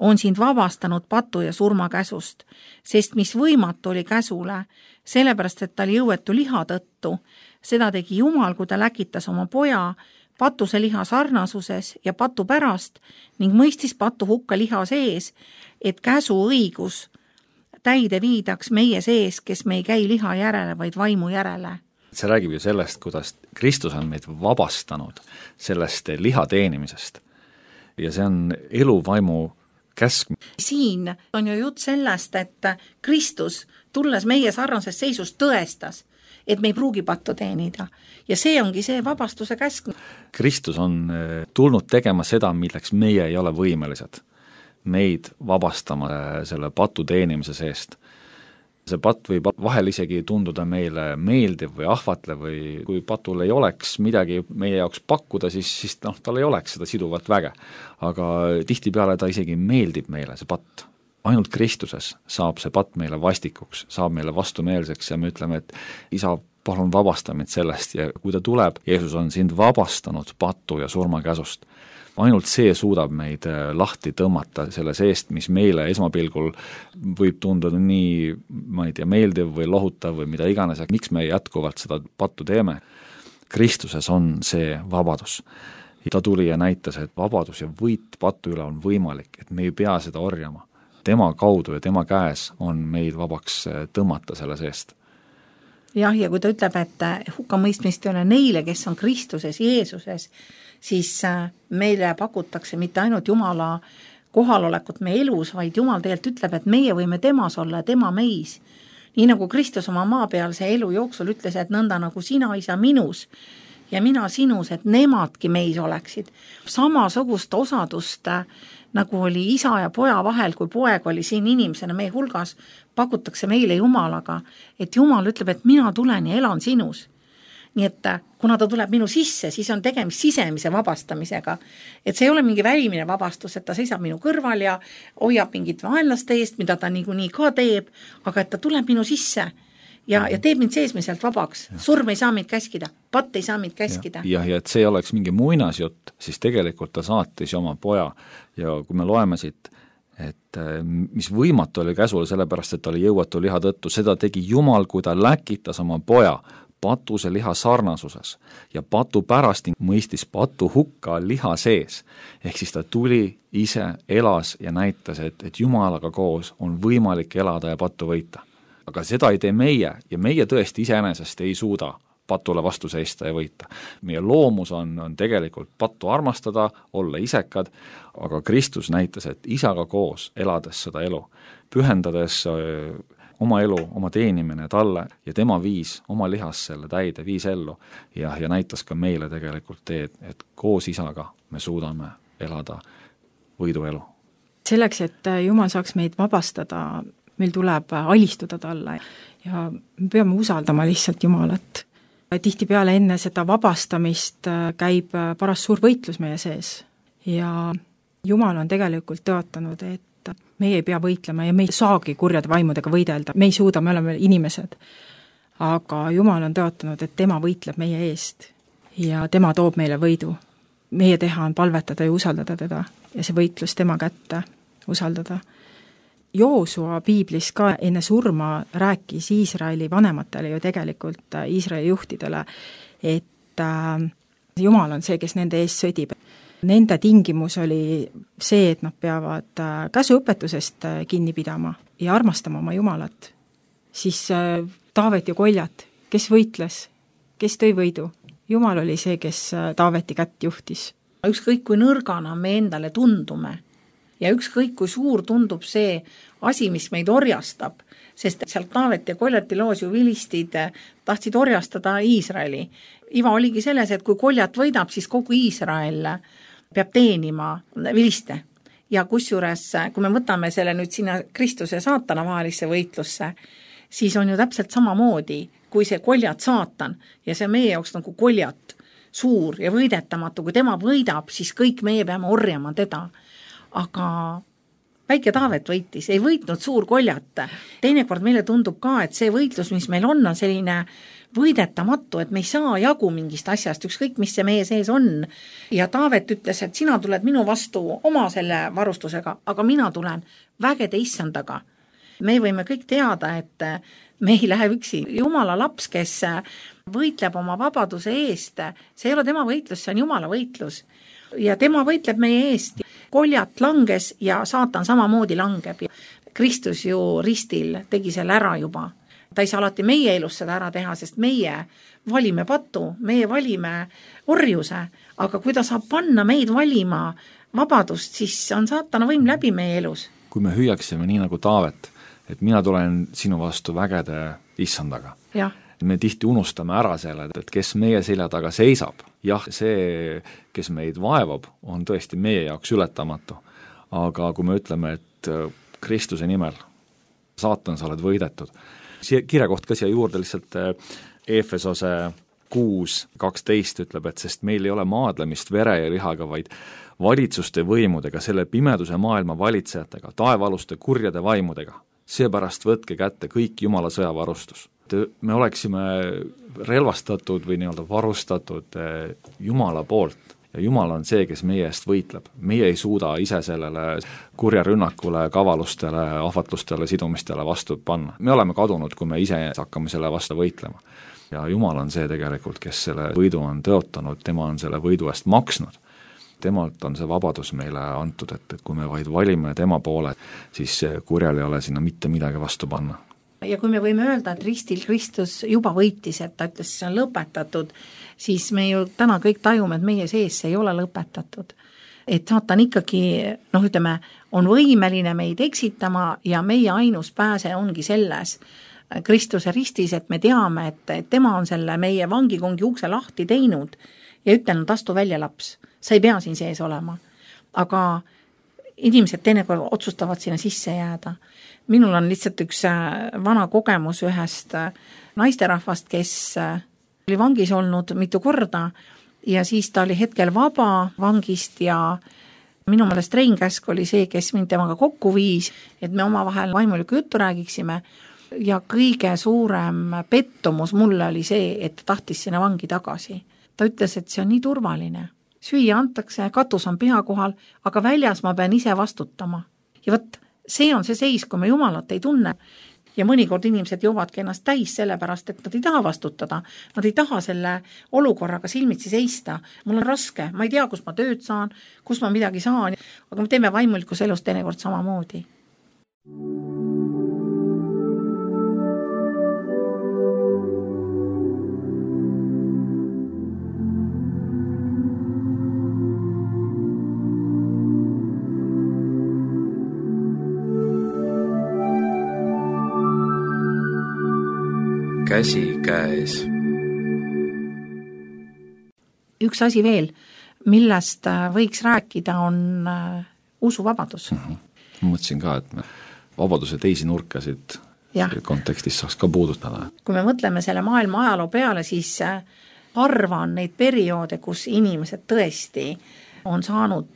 on sind vabastanud patu ja surma käsust, sest mis võimatu oli käsule, sellepärast et ta oli jõuetu liha tõttu, seda tegi Jumal, kui ta läkitas oma poja patuse liha sarnasuses ja patu pärast ning mõistis patu hukka liha sees, et käsu õigus täide viidaks meie sees, kes me ei käi liha järele, vaid vaimu järele. See räägib ju sellest, kuidas Kristus on meid vabastanud sellest liha teenimisest ja see on eluvaimu käsk. Siin on ju jutt sellest, et Kristus tulles meie sarnases seisus tõestas, et me ei pruugi pattu teenida ja see ongi see vabastuse käsk. Kristus on tulnud tegema seda, milleks meie ei ole võimelised, meid vabastama selle patu teenimise seest. see patt võib vahel isegi tunduda meile meeldiv või ahvatlev või kui patul ei oleks midagi meie jaoks pakkuda, siis, siis noh, tal ei oleks seda siduvat väge. aga tihtipeale ta isegi meeldib meile, see patt. Ainult Kristuses saab see patt meile vastikuks, saab meile vastumeelseks ja me ütleme, et isa, palun vabasta mind sellest ja kui ta tuleb, Jeesus on sind vabastanud patu ja surmakäsust. Ainult see suudab meid lahti tõmmata selle seest, mis meile esmapilgul võib tunduda nii, ma ei tea, meeldiv või lohutav või mida iganes, miks me jätkuvalt seda pattu teeme. Kristuses on see vabadus. Ta tuli ja näitas, et vabadus ja võit pattu üle on võimalik, et me ei pea seda orjama. Tema kaudu ja tema käes on meid vabaks tõmmata selle seest. Jah, ja kui ta ütleb, et hukkamõistmist ei ole neile, kes on Kristuses, Jeesuses, siis meile pakutakse mitte ainult Jumala kohalolekut meie elus, vaid Jumal tegelikult ütleb, et meie võime temas olla ja tema meis. Nii nagu Kristus oma maapealse elu jooksul ütles, et nõnda nagu sina, isa, minus ja mina sinus, et nemadki meis oleksid. Samasugust osadust, nagu oli isa ja poja vahel, kui poeg oli siin inimesena meie hulgas, pakutakse meile Jumalaga, et Jumal ütleb, et mina tulen ja elan sinus. Nii et kuna ta tuleb minu sisse, siis on tegemist sisemise vabastamisega. Et see ei ole mingi välimine vabastus, et ta seisab minu kõrval ja hoiab mingit vaenlaste eest, mida ta niikuinii ka teeb, aga et ta tuleb minu sisse ja, ja teeb mind seesmiselt vabaks. Surm ei saa mind käskida, patt ei saa mind käskida. Ja, ja et see oleks mingi muinasjutt, siis tegelikult ta saatis oma poja ja kui me loeme siit, et mis võimatu oli käsul, sellepärast, et ta oli jõuatu liha tõttu, seda tegi Jumal, kui ta läkitas oma poja patuse liha sarnasuses ja patu pärast mõistis patu hukka liha sees. Ehk siis ta tuli ise, elas ja näitas, et, et Jumalaga koos on võimalik elada ja pattu võita. Aga seda ei tee meie ja meie tõesti iseenesest ei suuda patule vastu seista ja võita. Meie loomus on, on tegelikult pattu armastada, olla isekad, aga Kristus näitas, et isaga koos elades seda elu, pühendades oma elu, oma teenimine talle ja tema viis oma lihas selle täide, viis ellu ja, ja näitas ka meile tegelikult teed, et koos isaga me suudame elada võiduelu. Selleks, et Jumal saaks meid vabastada, meil tuleb alistuda talle ja me peame usaldama lihtsalt Jumalat. Tihtipeale enne seda vabastamist käib paras suur võitlus meie sees ja Jumal on tegelikult tõotanud, et meie ei pea võitlema ja me ei saagi kurjade vaimudega võidelda, me ei suuda, me oleme inimesed. Aga Jumal on tõotanud, et tema võitleb meie eest ja tema toob meile võidu. Meie teha on palvetada ja usaldada teda ja see võitlus tema kätte usaldada. Joosua piiblis ka enne surma rääkis Iisraeli vanematele ju tegelikult Iisraeli juhtidele, et Jumal on see, kes nende eest sõdib. Nende tingimus oli see, et nad peavad käsuõpetusest kinni pidama ja armastama oma Jumalat. Siis Taavet ja Koljat, kes võitles, kes tõi võidu? Jumal oli see, kes Taaveti kätt juhtis. Ükskõik kui nõrgana me endale tundume ja ükskõik kui suur tundub see asi, mis meid orjastab, sest sealt Taavet ja Koljati loos ju vilistid tahtsid orjastada Iisraeli. Iva oligi selles, et kui Koljat võidab, siis kogu Iisrael peab teenima viliste. Ja kusjuures, kui me võtame selle nüüd sinna Kristuse ja saatana vahelisse võitlusse, siis on ju täpselt samamoodi, kui see Koljat saatan ja see meie jaoks nagu Koljat suur ja võidetamatu, kui tema võidab, siis kõik meie peame orjama teda. Aga väike Taavet võitis, ei võitnud suur Koljat. Teinekord meile tundub ka, et see võitlus, mis meil on, on selline võidetamatu, et me ei saa jagu mingist asjast, ükskõik mis see meie sees on. Ja Taavet ütles, et sina tuled minu vastu oma selle varustusega, aga mina tulen vägede issandaga. Me võime kõik teada, et me ei lähe üksi. Jumala laps, kes võitleb oma vabaduse eest, see ei ole tema võitlus, see on Jumala võitlus. Ja tema võitleb meie eest. Koljat langes ja saatan samamoodi langeb. Kristus ju ristil tegi selle ära juba. Ta ei saa alati meie elus seda ära teha, sest meie valime patu, meie valime orjuse, aga kui ta saab panna meid valima vabadust, siis on saatana võim läbi meie elus. Kui me hüüaksime nii nagu Taavet, et mina tulen sinu vastu vägede issandaga. Jah. Me tihti unustame ära selle, et kes meie selja taga seisab. Jah, see, kes meid vaevab, on tõesti meie jaoks ületamatu. Aga kui me ütleme, et Kristuse nimel saatan, sa oled võidetud. Siia kirjakoht ka siia juurde lihtsalt Efesose kuus kaksteist ütleb, et sest meil ei ole maadlemist vere ja lihaga, vaid valitsuste võimudega, selle pimeduse maailma valitsejatega, taevaaluste kurjade vaimudega. Seepärast võtke kätte kõik Jumala sõjavarustus. Me oleksime relvastatud või nii-öelda varustatud Jumala poolt ja Jumal on see, kes meie eest võitleb. Meie ei suuda ise sellele kurja rünnakule, kavalustele, ahvatlustele, sidumistele vastu panna. Me oleme kadunud, kui me ise hakkame selle vastu võitlema. Ja Jumal on see tegelikult, kes selle võidu on tõotanud, tema on selle võidu eest maksnud. Temalt on see vabadus meile antud, et, et kui me vaid valime tema poole, siis kurjal ei ole sinna mitte midagi vastu panna. Ja kui me võime öelda, et ristil Kristus juba võitis, et ta ütles, see on lõpetatud, siis me ju täna kõik tajume, et meie sees see ei ole lõpetatud. Et saatan ikkagi, noh ütleme, on võimeline meid eksitama ja meie ainus pääse ongi selles Kristuse ristis, et me teame, et, et tema on selle meie vangikongi ukse lahti teinud ja ütelnud, astu välja laps. Sa ei pea siin sees olema. Aga inimesed teinekord otsustavad sinna sisse jääda. Minul on lihtsalt üks vana kogemus ühest naisterahvast, kes oli vangis olnud mitu korda ja siis ta oli hetkel vaba vangist ja minu meelest Rein Käsk oli see, kes mind temaga kokku viis, et me omavahel vaimulikku juttu räägiksime ja kõige suurem pettumus mulle oli see, et ta tahtis sinna vangi tagasi. Ta ütles, et see on nii turvaline. Süüa antakse, katus on pea kohal, aga väljas ma pean ise vastutama. Ja võt, see on see seis, kui me Jumalat ei tunne. Ja mõnikord inimesed joovadki ennast täis sellepärast, et nad ei taha vastutada. Nad ei taha selle olukorraga silmitsi seista. Mul on raske, ma ei tea, kus ma tööd saan, kus ma midagi saan, aga me teeme vaimulikus elus teinekord samamoodi. Käsi käes. Üks asi veel, millest võiks rääkida, on usuvabadus. Mm-hmm. Ma mõtlesin ka, et me vabaduse teisi nurkasid ja. Kontekstis saaks ka puudutada. Kui me mõtleme selle maailma ajaloo peale, siis harva on neid perioode, kus inimesed tõesti on saanud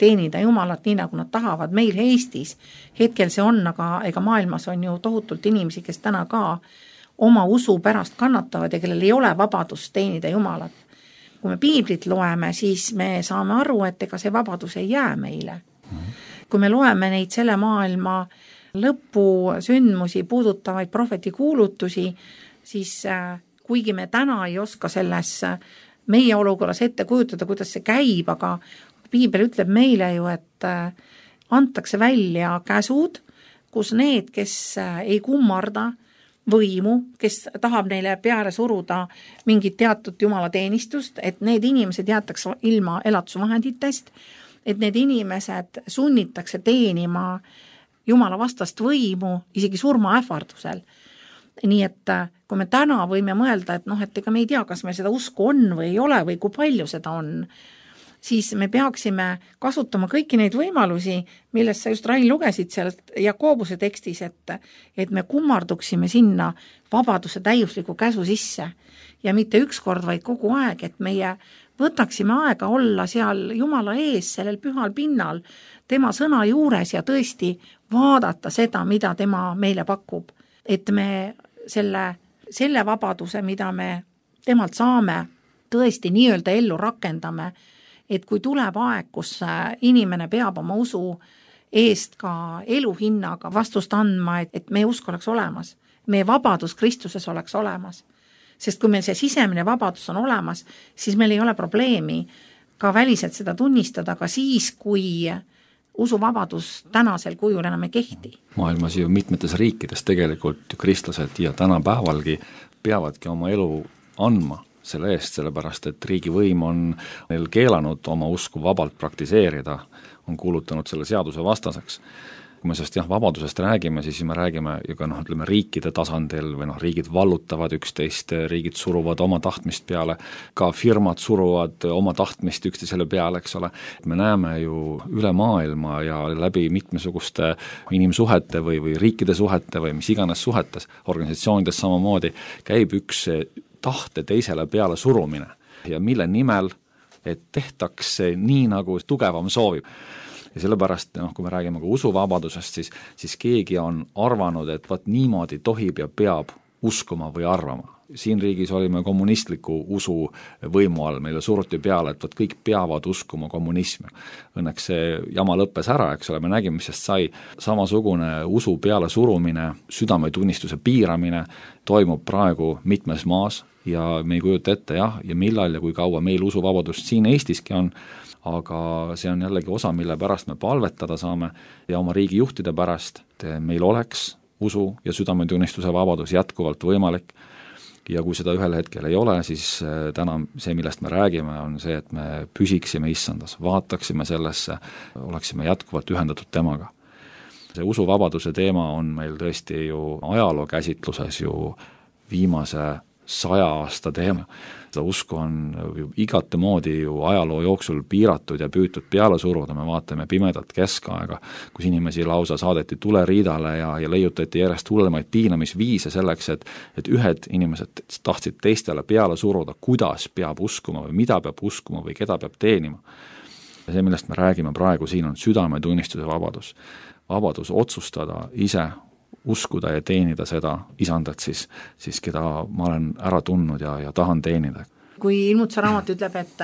teenida Jumalat nii, nagu nad tahavad. Meil Eestis hetkel see on, aga ega maailmas on ju tohutult inimesi, kes täna ka oma usu pärast kannatavad ja kellel ei ole vabadust teenida Jumalat. Kui me piiblit loeme, siis me saame aru, et ega see vabadus ei jää meile. Kui me loeme neid selle maailma lõpu sündmusi puudutavaid prohveti kuulutusi, siis kuigi me täna ei oska selles meie olukorras ette kujutada, kuidas see käib, aga piibel ütleb meile ju, et antakse välja käsud, kus need, kes ei kummarda võimu, kes tahab neile peale suruda mingit teatud Jumala teenistust, et need inimesed jäetakse ilma elatusvahenditest, et need inimesed sunnitakse teenima Jumala vastast võimu isegi surma ähvardusel. Nii et kui me täna võime mõelda, et noh, et ega me ei tea, kas meil seda usku on või ei ole või kui palju seda on, siis me peaksime kasutama kõiki neid võimalusi, millest sa just Rain lugesid sealt Jakobuse tekstis, et, et me kummarduksime sinna vabaduse täiusliku käsu sisse ja mitte ükskord, vaid kogu aeg, et meie võtaksime aega olla seal Jumala ees, sellel pühal pinnal, tema sõna juures ja tõesti vaadata seda, mida tema meile pakub. Et me selle, selle vabaduse, mida me temalt saame, tõesti nii-öelda ellu rakendame, et kui tuleb aeg, kus inimene peab oma usu eest ka eluhinnaga vastust andma, et, et meie usk oleks olemas, meie vabadus Kristuses oleks olemas. Sest kui meil see sisemine vabadus on olemas, siis meil ei ole probleemi ka väliselt seda tunnistada, ka siis, kui usuvabadus tänasel kujul enam ei kehti. Maailmas ju mitmetes riikides tegelikult kristlased ja tänapäevalgi peavadki oma elu andma selle eest, sellepärast et riigivõim on neil keelanud oma usku vabalt praktiseerida, on kuulutanud selle seaduse vastaseks. kui me sellest jah, vabadusest räägime, siis me räägime ju ka noh, ütleme riikide tasandil või noh, riigid vallutavad üksteist, riigid suruvad oma tahtmist peale, ka firmad suruvad oma tahtmist üksteisele peale, eks ole. Me näeme ju üle maailma ja läbi mitmesuguste inimsuhete või, või riikide suhete või mis iganes suhetes, organisatsioonides samamoodi, käib üks tahte teisele peale surumine ja mille nimel, et tehtaks nii, nagu tugevam soovib. Ja sellepärast, noh, kui me räägime ka usuvabadusest, siis, siis keegi on arvanud, et vaat niimoodi tohib ja peab uskuma või arvama. Siin riigis olime kommunistliku usu võimu all, meile suruti peale, et vaat kõik peavad uskuma kommunismi. Õnneks see jama lõppes ära, eks ole, me nägime, mis sest sai. Samasugune usu peale surumine, südametunnistuse piiramine toimub praegu mitmes maas ja me ei kujuta ette jah, ja millal ja kui kaua meil usuvabadust siin Eestiski on, aga see on jällegi osa, mille pärast me palvetada saame ja oma riigi juhtide pärast, et meil oleks usu ja südametunnistuse vabadus jätkuvalt võimalik ja kui seda ühel hetkel ei ole, siis täna see, millest me räägime, on see, et me püsiksime issandas, vaataksime sellesse, oleksime jätkuvalt ühendatud temaga. See usuvabaduse teema on meil tõesti ju ajaloo käsitluses ju viimase saja aasta teema. Seda usku on ju igate moodi ju ajaloo jooksul piiratud ja püütud peale suruda, me vaatame pimedat keskaega, kus inimesi lausa saadeti tuleriidale ja, ja leiutati järjest hullemaid piinamisviise selleks, et, et ühed inimesed tahtsid teistele peale suruda, kuidas peab uskuma või mida peab uskuma või keda peab teenima. Ja see, millest me räägime praegu siin, on südametunnistuse vabadus. Vabadus otsustada ise uskuda ja teenida seda isandat siis, siis keda ma olen ära tundnud ja, ja tahan teenida. Kui ilmutuse raamat ütleb, et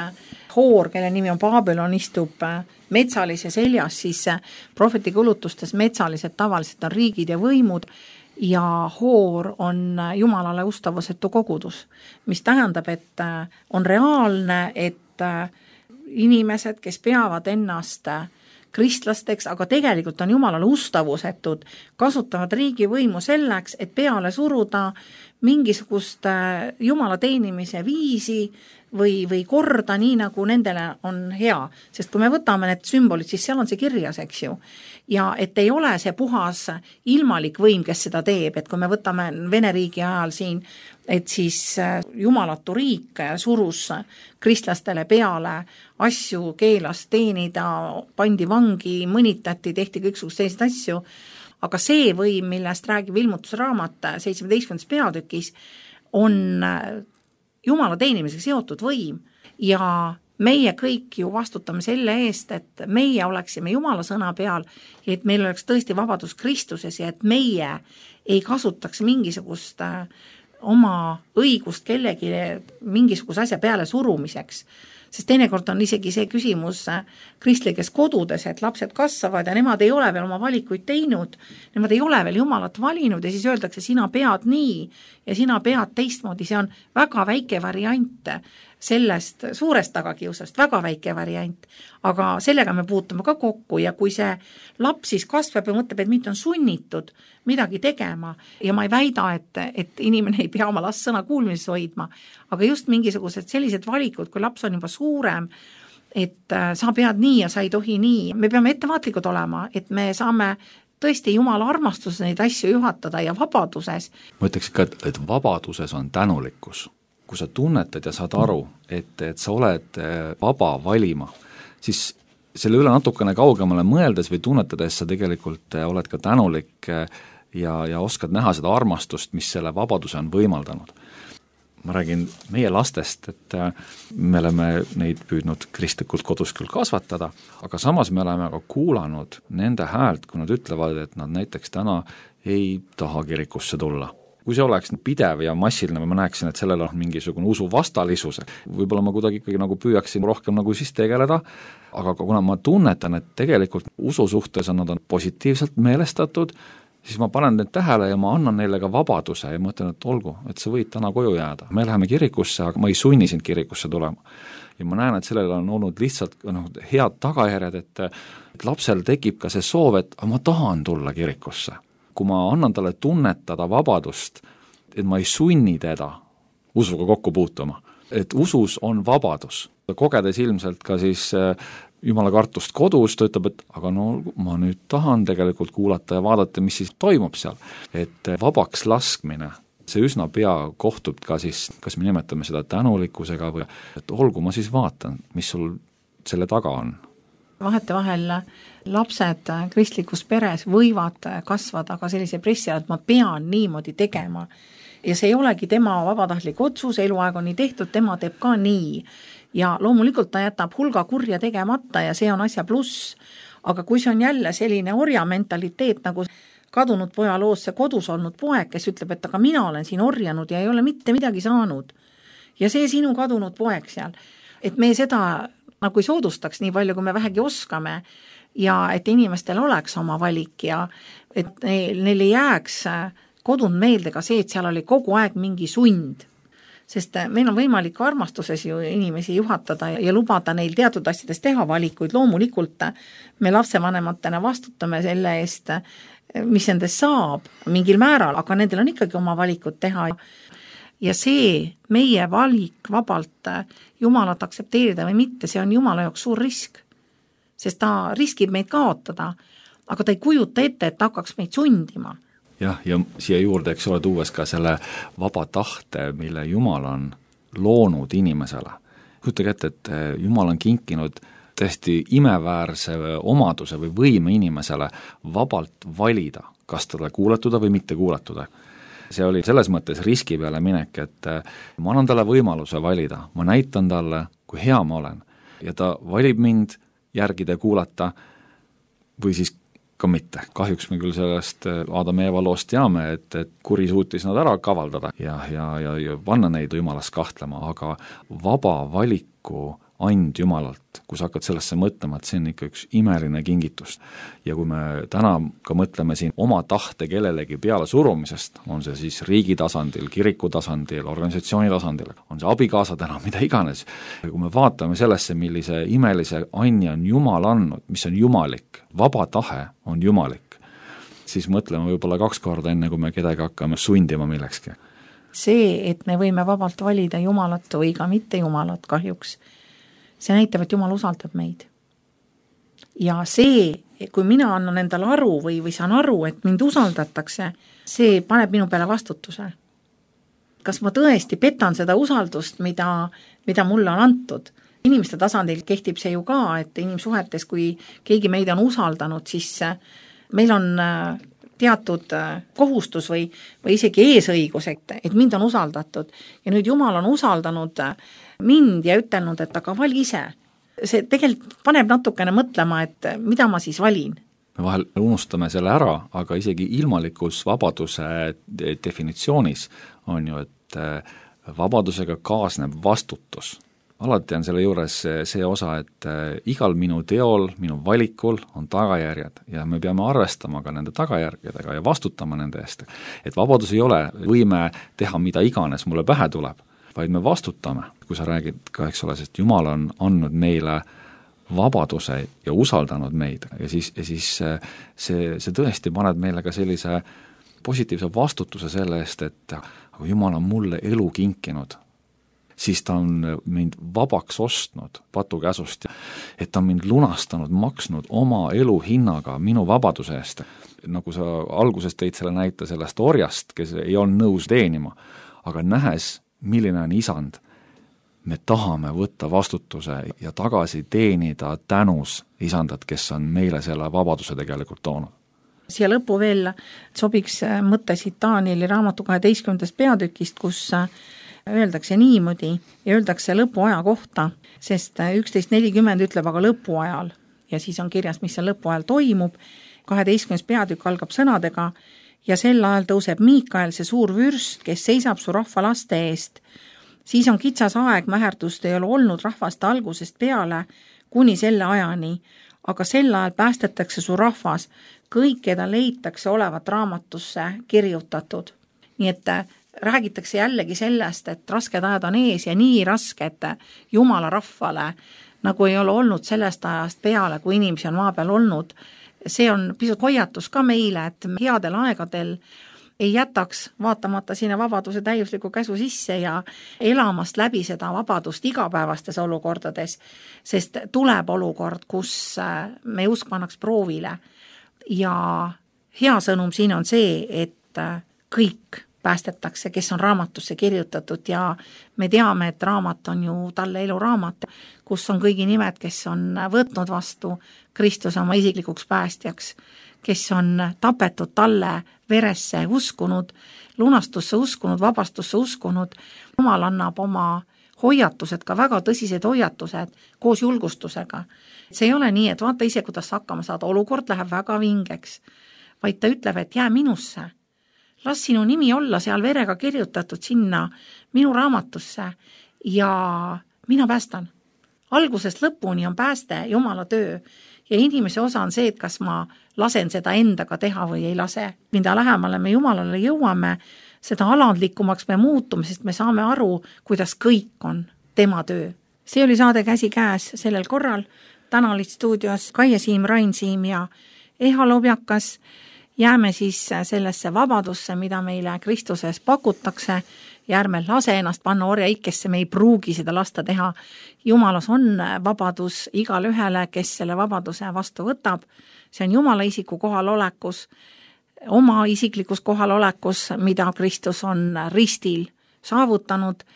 Hoor, kelle nimi on Babylon, istub metsalise seljas, siis prohveti kulutustes metsalised tavaliselt on riigid ja võimud ja Hoor on Jumalale ustavusetu kogudus, mis tähendab, et on reaalne, et inimesed, kes peavad ennast kristlasteks, aga tegelikult on Jumalale ustavusetud, kasutavad riigivõimu selleks, et peale suruda mingisugust Jumala teenimise viisi või, või korda nii, nagu nendele on hea. Sest kui me võtame need sümbolid, siis seal on see kirjas, eks ju. Ja et ei ole see puhas ilmalik võim, kes seda teeb, et kui me võtame Vene riigi ajal siin, et siis jumalatu riik surus kristlastele peale asju, keelas teenida, pandi vangi, mõnitati, tehti kõiksugust selliseid asju, aga see võim, millest räägib ilmutusraamat seitsmeteistkümnendas peatükis, on Jumala teenimisega seotud võim ja meie kõik ju vastutame selle eest, et meie oleksime Jumala sõna peal ja et meil oleks tõesti vabadus Kristuses ja et meie ei kasutaks mingisugust oma õigust kellegi mingisuguse asja peale surumiseks. Sest teinekord on isegi see küsimus kristlikes kodudes, et lapsed kasvavad ja nemad ei ole veel oma valikuid teinud, nemad ei ole veel Jumalat valinud ja siis öeldakse, sina pead nii ja sina pead teistmoodi, see on väga väike variant sellest suurest tagakiusast, väga väike variant, aga sellega me puutume ka kokku ja kui see laps siis kasvab ja mõtleb, et mind on sunnitud midagi tegema ja ma ei väida, et, et inimene ei pea oma last sõna kuulmises hoidma, aga just mingisugused sellised valikud, kui laps on juba suurem, et sa pead nii ja sa ei tohi nii, me peame ettevaatlikud olema, et me saame tõesti Jumala armastuses neid asju juhatada ja vabaduses. Ma ütleks ka, et vabaduses on tänulikkus. Kui sa tunnetad ja saad aru, et, et sa oled vaba valima, siis selle üle natukene kaugemale mõeldes või tunnetades sa tegelikult oled ka tänulik ja, ja oskad näha seda armastust, mis selle vabaduse on võimaldanud. Ma räägin meie lastest, et me oleme neid püüdnud kristlikult kodus küll kasvatada, aga samas me oleme ka kuulanud nende häält, kui nad ütlevad, et nad näiteks täna ei taha kirikusse tulla. Kui see oleks pidev ja massiline, ma näeksin, et sellel on mingisugune usu vastalisus, võib-olla ma kuidagi ikkagi nagu püüaksin rohkem nagu siis tegeleda, aga kuna ma tunnetan, et tegelikult usu suhtes on nad on positiivselt meelestatud, siis ma panen need tähele ja ma annan neile ka vabaduse ja mõtlen, et olgu, et sa võid täna koju jääda. Me läheme kirikusse, aga ma ei sunni sind kirikusse tulema. Ja ma näen, et sellel on olnud lihtsalt no, head tagajärjed, et, et lapsel tekib ka see soov, et ma tahan tulla kirikusse. Kui ma annan talle tunnetada vabadust, et ma ei sunni teda usuga kokku puutuma, et usus on vabadus. Kogedes ilmselt ka siis jumala kartust kodus, ta ütleb, et aga no ma nüüd tahan tegelikult kuulata ja vaadata, mis siis toimub seal. Et vabaks laskmine, see üsna pea kohtub ka siis, kas me nimetame seda tänulikkusega või et olgu, ma siis vaatan, mis sul selle taga on. Vahetevahel lapsed kristlikus peres võivad kasvada ka sellise pressi, et ma pean niimoodi tegema. Ja see ei olegi tema vabatahtlik otsus, eluaeg on nii tehtud, tema teeb ka nii. Ja loomulikult ta jätab hulga kurja tegemata ja see on asja pluss. Aga kui see on jälle selline orja mentaliteet, nagu kadunud poja loos see kodus olnud poeg, kes ütleb, et aga mina olen siin orjanud ja ei ole mitte midagi saanud. Ja see sinu kadunud poeg seal. Et me seda nagu ei soodustaks nii palju, kui me vähegi oskame ja et inimestel oleks oma valik ja et neil ei jääks kodunud meelde ka see, et seal oli kogu aeg mingi sund. Sest meil on võimalik armastuses ju inimesi juhatada ja lubada neil teatud asjades teha valikuid. Loomulikult me lapsevanematena vastutame selle eest, mis endast saab mingil määral, aga nendel on ikkagi oma valikud teha. Ja see meie valik vabalt Jumalat aktsepteerida või mitte, see on Jumala jaoks suur risk. Sest ta riskib meid kaotada, aga ta ei kujuta ette, et ta hakkaks meid sundima. Jah, ja siia juurde, eks ole, tuues ka selle vaba tahte, mille Jumal on loonud inimesele. Kujutage ette, et Jumal on kinkinud tõesti imeväärse omaduse või võime inimesele vabalt valida, kas talle kuulatuda või mitte kuulatuda. See oli selles mõttes riski peale minek, et ma annan talle võimaluse valida, ma näitan talle, kui hea ma olen. Ja ta valib mind järgida ja kuulata või siis ka mitte. Kahjuks me küll sellest Aadam ja Eeva loost teame, et, et kuri suutis nad ära kavaldada ja, ja, ja, ja panna neid Jumalast kahtlema, aga vaba valiku and Jumalalt, kui sa hakkad sellesse mõtlema, et see on ikka üks imeline kingitus. Ja kui me täna ka mõtleme siin oma tahte kellelegi peale surumisest, on see siis riigi tasandil, kiriku tasandil, organisatsiooni tasandil, on see abikaasa täna, mida iganes. Ja kui me vaatame sellesse, millise imelise anni on Jumal andnud, mis on jumalik, vaba tahe on jumalik, siis mõtleme võib-olla kaks korda enne, kui me kedagi hakkame sundima millekski. See, et me võime vabalt valida Jumalat või ka mitte Jumalat kahjuks, see näitab, et Jumal usaldab meid. Ja see, kui mina annan endale aru või, või saan aru, et mind usaldatakse, see paneb minu peale vastutuse. Kas ma tõesti petan seda usaldust, mida, mida mulle on antud? Inimeste tasandil kehtib see ju ka, et inimsuhetes, kui keegi meid on usaldanud, siis meil on teatud kohustus või, või isegi eesõigus, et, et mind on usaldatud. Ja nüüd Jumal on usaldanud mind ja ütelnud, et aga vali ise. See tegelikult paneb natukene mõtlema, et mida ma siis valin. Me vahel unustame selle ära, aga isegi ilmalikus vabaduse definitsioonis on ju, et vabadusega kaasneb vastutus. Alati on selle juures see osa, et igal minu teol, minu valikul on tagajärjed ja me peame arvestama ka nende tagajärgedega ja vastutama nende eest. Et vabadus ei ole võime teha mida iganes mulle pähe tuleb, vaid me vastutame, kui sa räägid ka, eks ole, sest Jumal on andnud meile vabaduse ja usaldanud meid ja siis, ja siis see, see tõesti paneb meile ka sellise positiivse vastutuse selle eest, et kui Jumal on mulle elu kinkinud, siis ta on mind vabaks ostnud patukäsust, et ta on mind lunastanud, maksnud oma elu hinnaga minu vabaduse eest. Nagu sa alguses tõid selle näite sellest orjast, kes ei olnud nõus teenima, aga nähes, milline on isand, me tahame võtta vastutuse ja tagasi teenida tänus isandat, kes on meile selle vabaduse tegelikult toonud. Siia lõppu veel sobiks mõte siit Danieli raamatu kaheteistkümnendast peatükist, kus öeldakse niimoodi ja öeldakse lõpuaja kohta, sest üksteist nelikümmend ütleb aga lõpuajal ja siis on kirjas, mis seal lõpuajal toimub. kaheteistkümnes peatükk algab sõnadega ja sel ajal tõuseb Miikael, see suur vürst, kes seisab su rahva laste eest. Siis on kitsas aeg, mäherdust ei ole olnud rahvaste algusest peale kuni selle ajani, aga sel ajal päästetakse su rahvas, kõik, keda leitakse olevat raamatusse kirjutatud. Nii et räägitakse jällegi sellest, et rasked ajad on ees ja nii rasked Jumala rahvale, nagu ei ole olnud sellest ajast peale, kui inimesi on maa peal olnud. See on pisut hoiatus ka meile, et headel aegadel ei jätaks vaatamata sinna vabaduse täiusliku käsu sisse ja elamast läbi seda vabadust igapäevastes olukordades, sest tuleb olukord, kus me usk pannaks proovile ja hea sõnum siin on see, et kõik päästetakse, kes on raamatusse kirjutatud ja me teame, et raamat on ju talle eluraamat, kus on kõigi nimed, kes on võtnud vastu Kristuse oma isiklikuks päästjaks, kes on tapetud talle veresse uskunud, lunastusse uskunud, vabastusse uskunud. Jumal annab oma hoiatused, ka väga tõsised hoiatused koos julgustusega. See ei ole nii, et vaata ise, kuidas hakkama saada, olukord läheb väga vingeks, vaid ta ütleb, et jää minusse. Las sinu nimi olla seal verega kirjutatud sinna minu raamatusse ja mina päästan. Algusest lõpuni on pääste Jumala töö ja inimese osa on see, et kas ma lasen seda endaga teha või ei lase. Mida lähemale me Jumalale jõuame, seda alandlikumaks me muutume, sest me saame aru, kuidas kõik on tema töö. See oli saade Käsi käes sellel korral. Täna olid stuudios Kaie Siim, Rain Siim ja Eha Lobjakas. Jääme siis sellesse vabadusse, mida meile Kristuses pakutakse ja ärme lase ennast panna orja ikkesse, me ei pruugi seda lasta teha. Jumalas on vabadus igal ühele, kes selle vabaduse vastu võtab. See on Jumala isiku kohalolekus, oma isiklikus kohalolekus, mida Kristus on ristil saavutanud.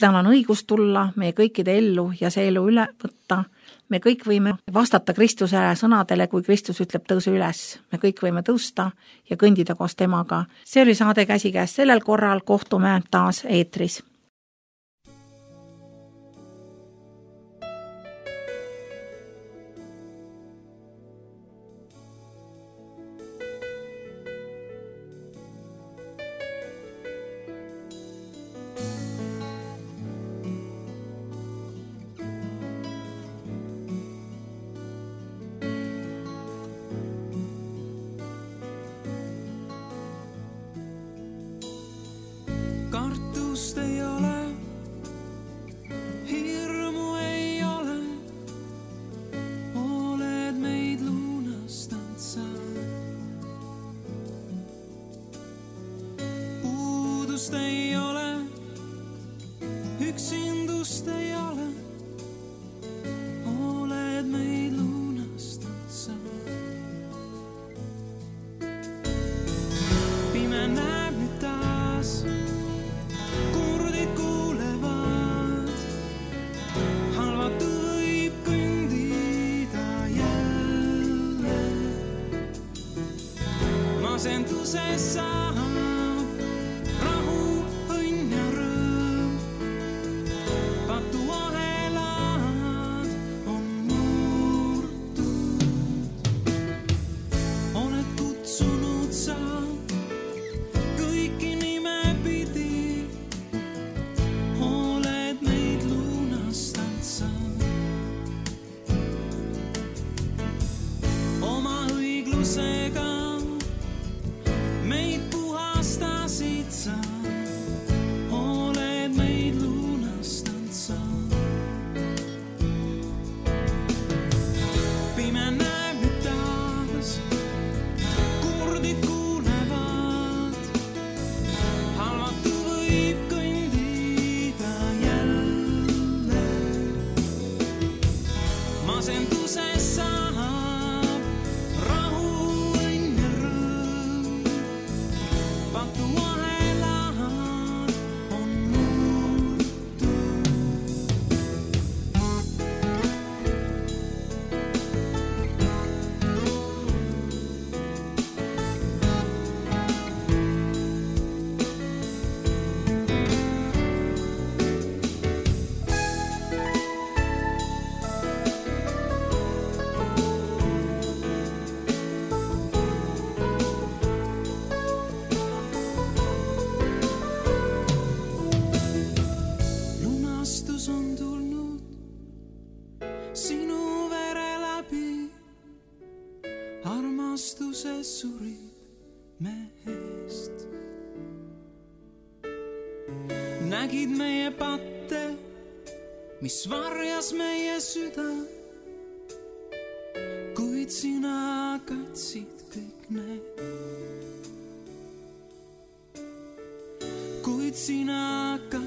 Tal on õigus tulla meie kõikide ellu ja see elu üle võtta. Me kõik võime vastata Kristuse sõnadele, kui Kristus ütleb tõusu üles. Me kõik võime tõusta ja kõndida koos temaga. See oli saade Käsi käes sellel korral, kohtume taas eetris. Kartust ei ole, hirmu ei ole, oled meid lunastanud sa. Puudust ei ole, üksindust ei ole, oled meid lunastanud sa. Pime näeb nüüd taas, masenduses saab rahu, õnn ja rõõm. Patu ahelad on murtud. Oled kutsunud sa kõiki nime pidi, oled meid lunastanud sa. Oma õiglusega meid puhastasid sa, oled meid lunastanud sa. Pime näeb nüüd taas, kurdid kuulevad, halvatu võib kõndida jälle. Masenduses saab armastuses surid mehest. Nägid meie patte, mis varjas meie süda, kuid sina katsid kõik need. kuid sina ka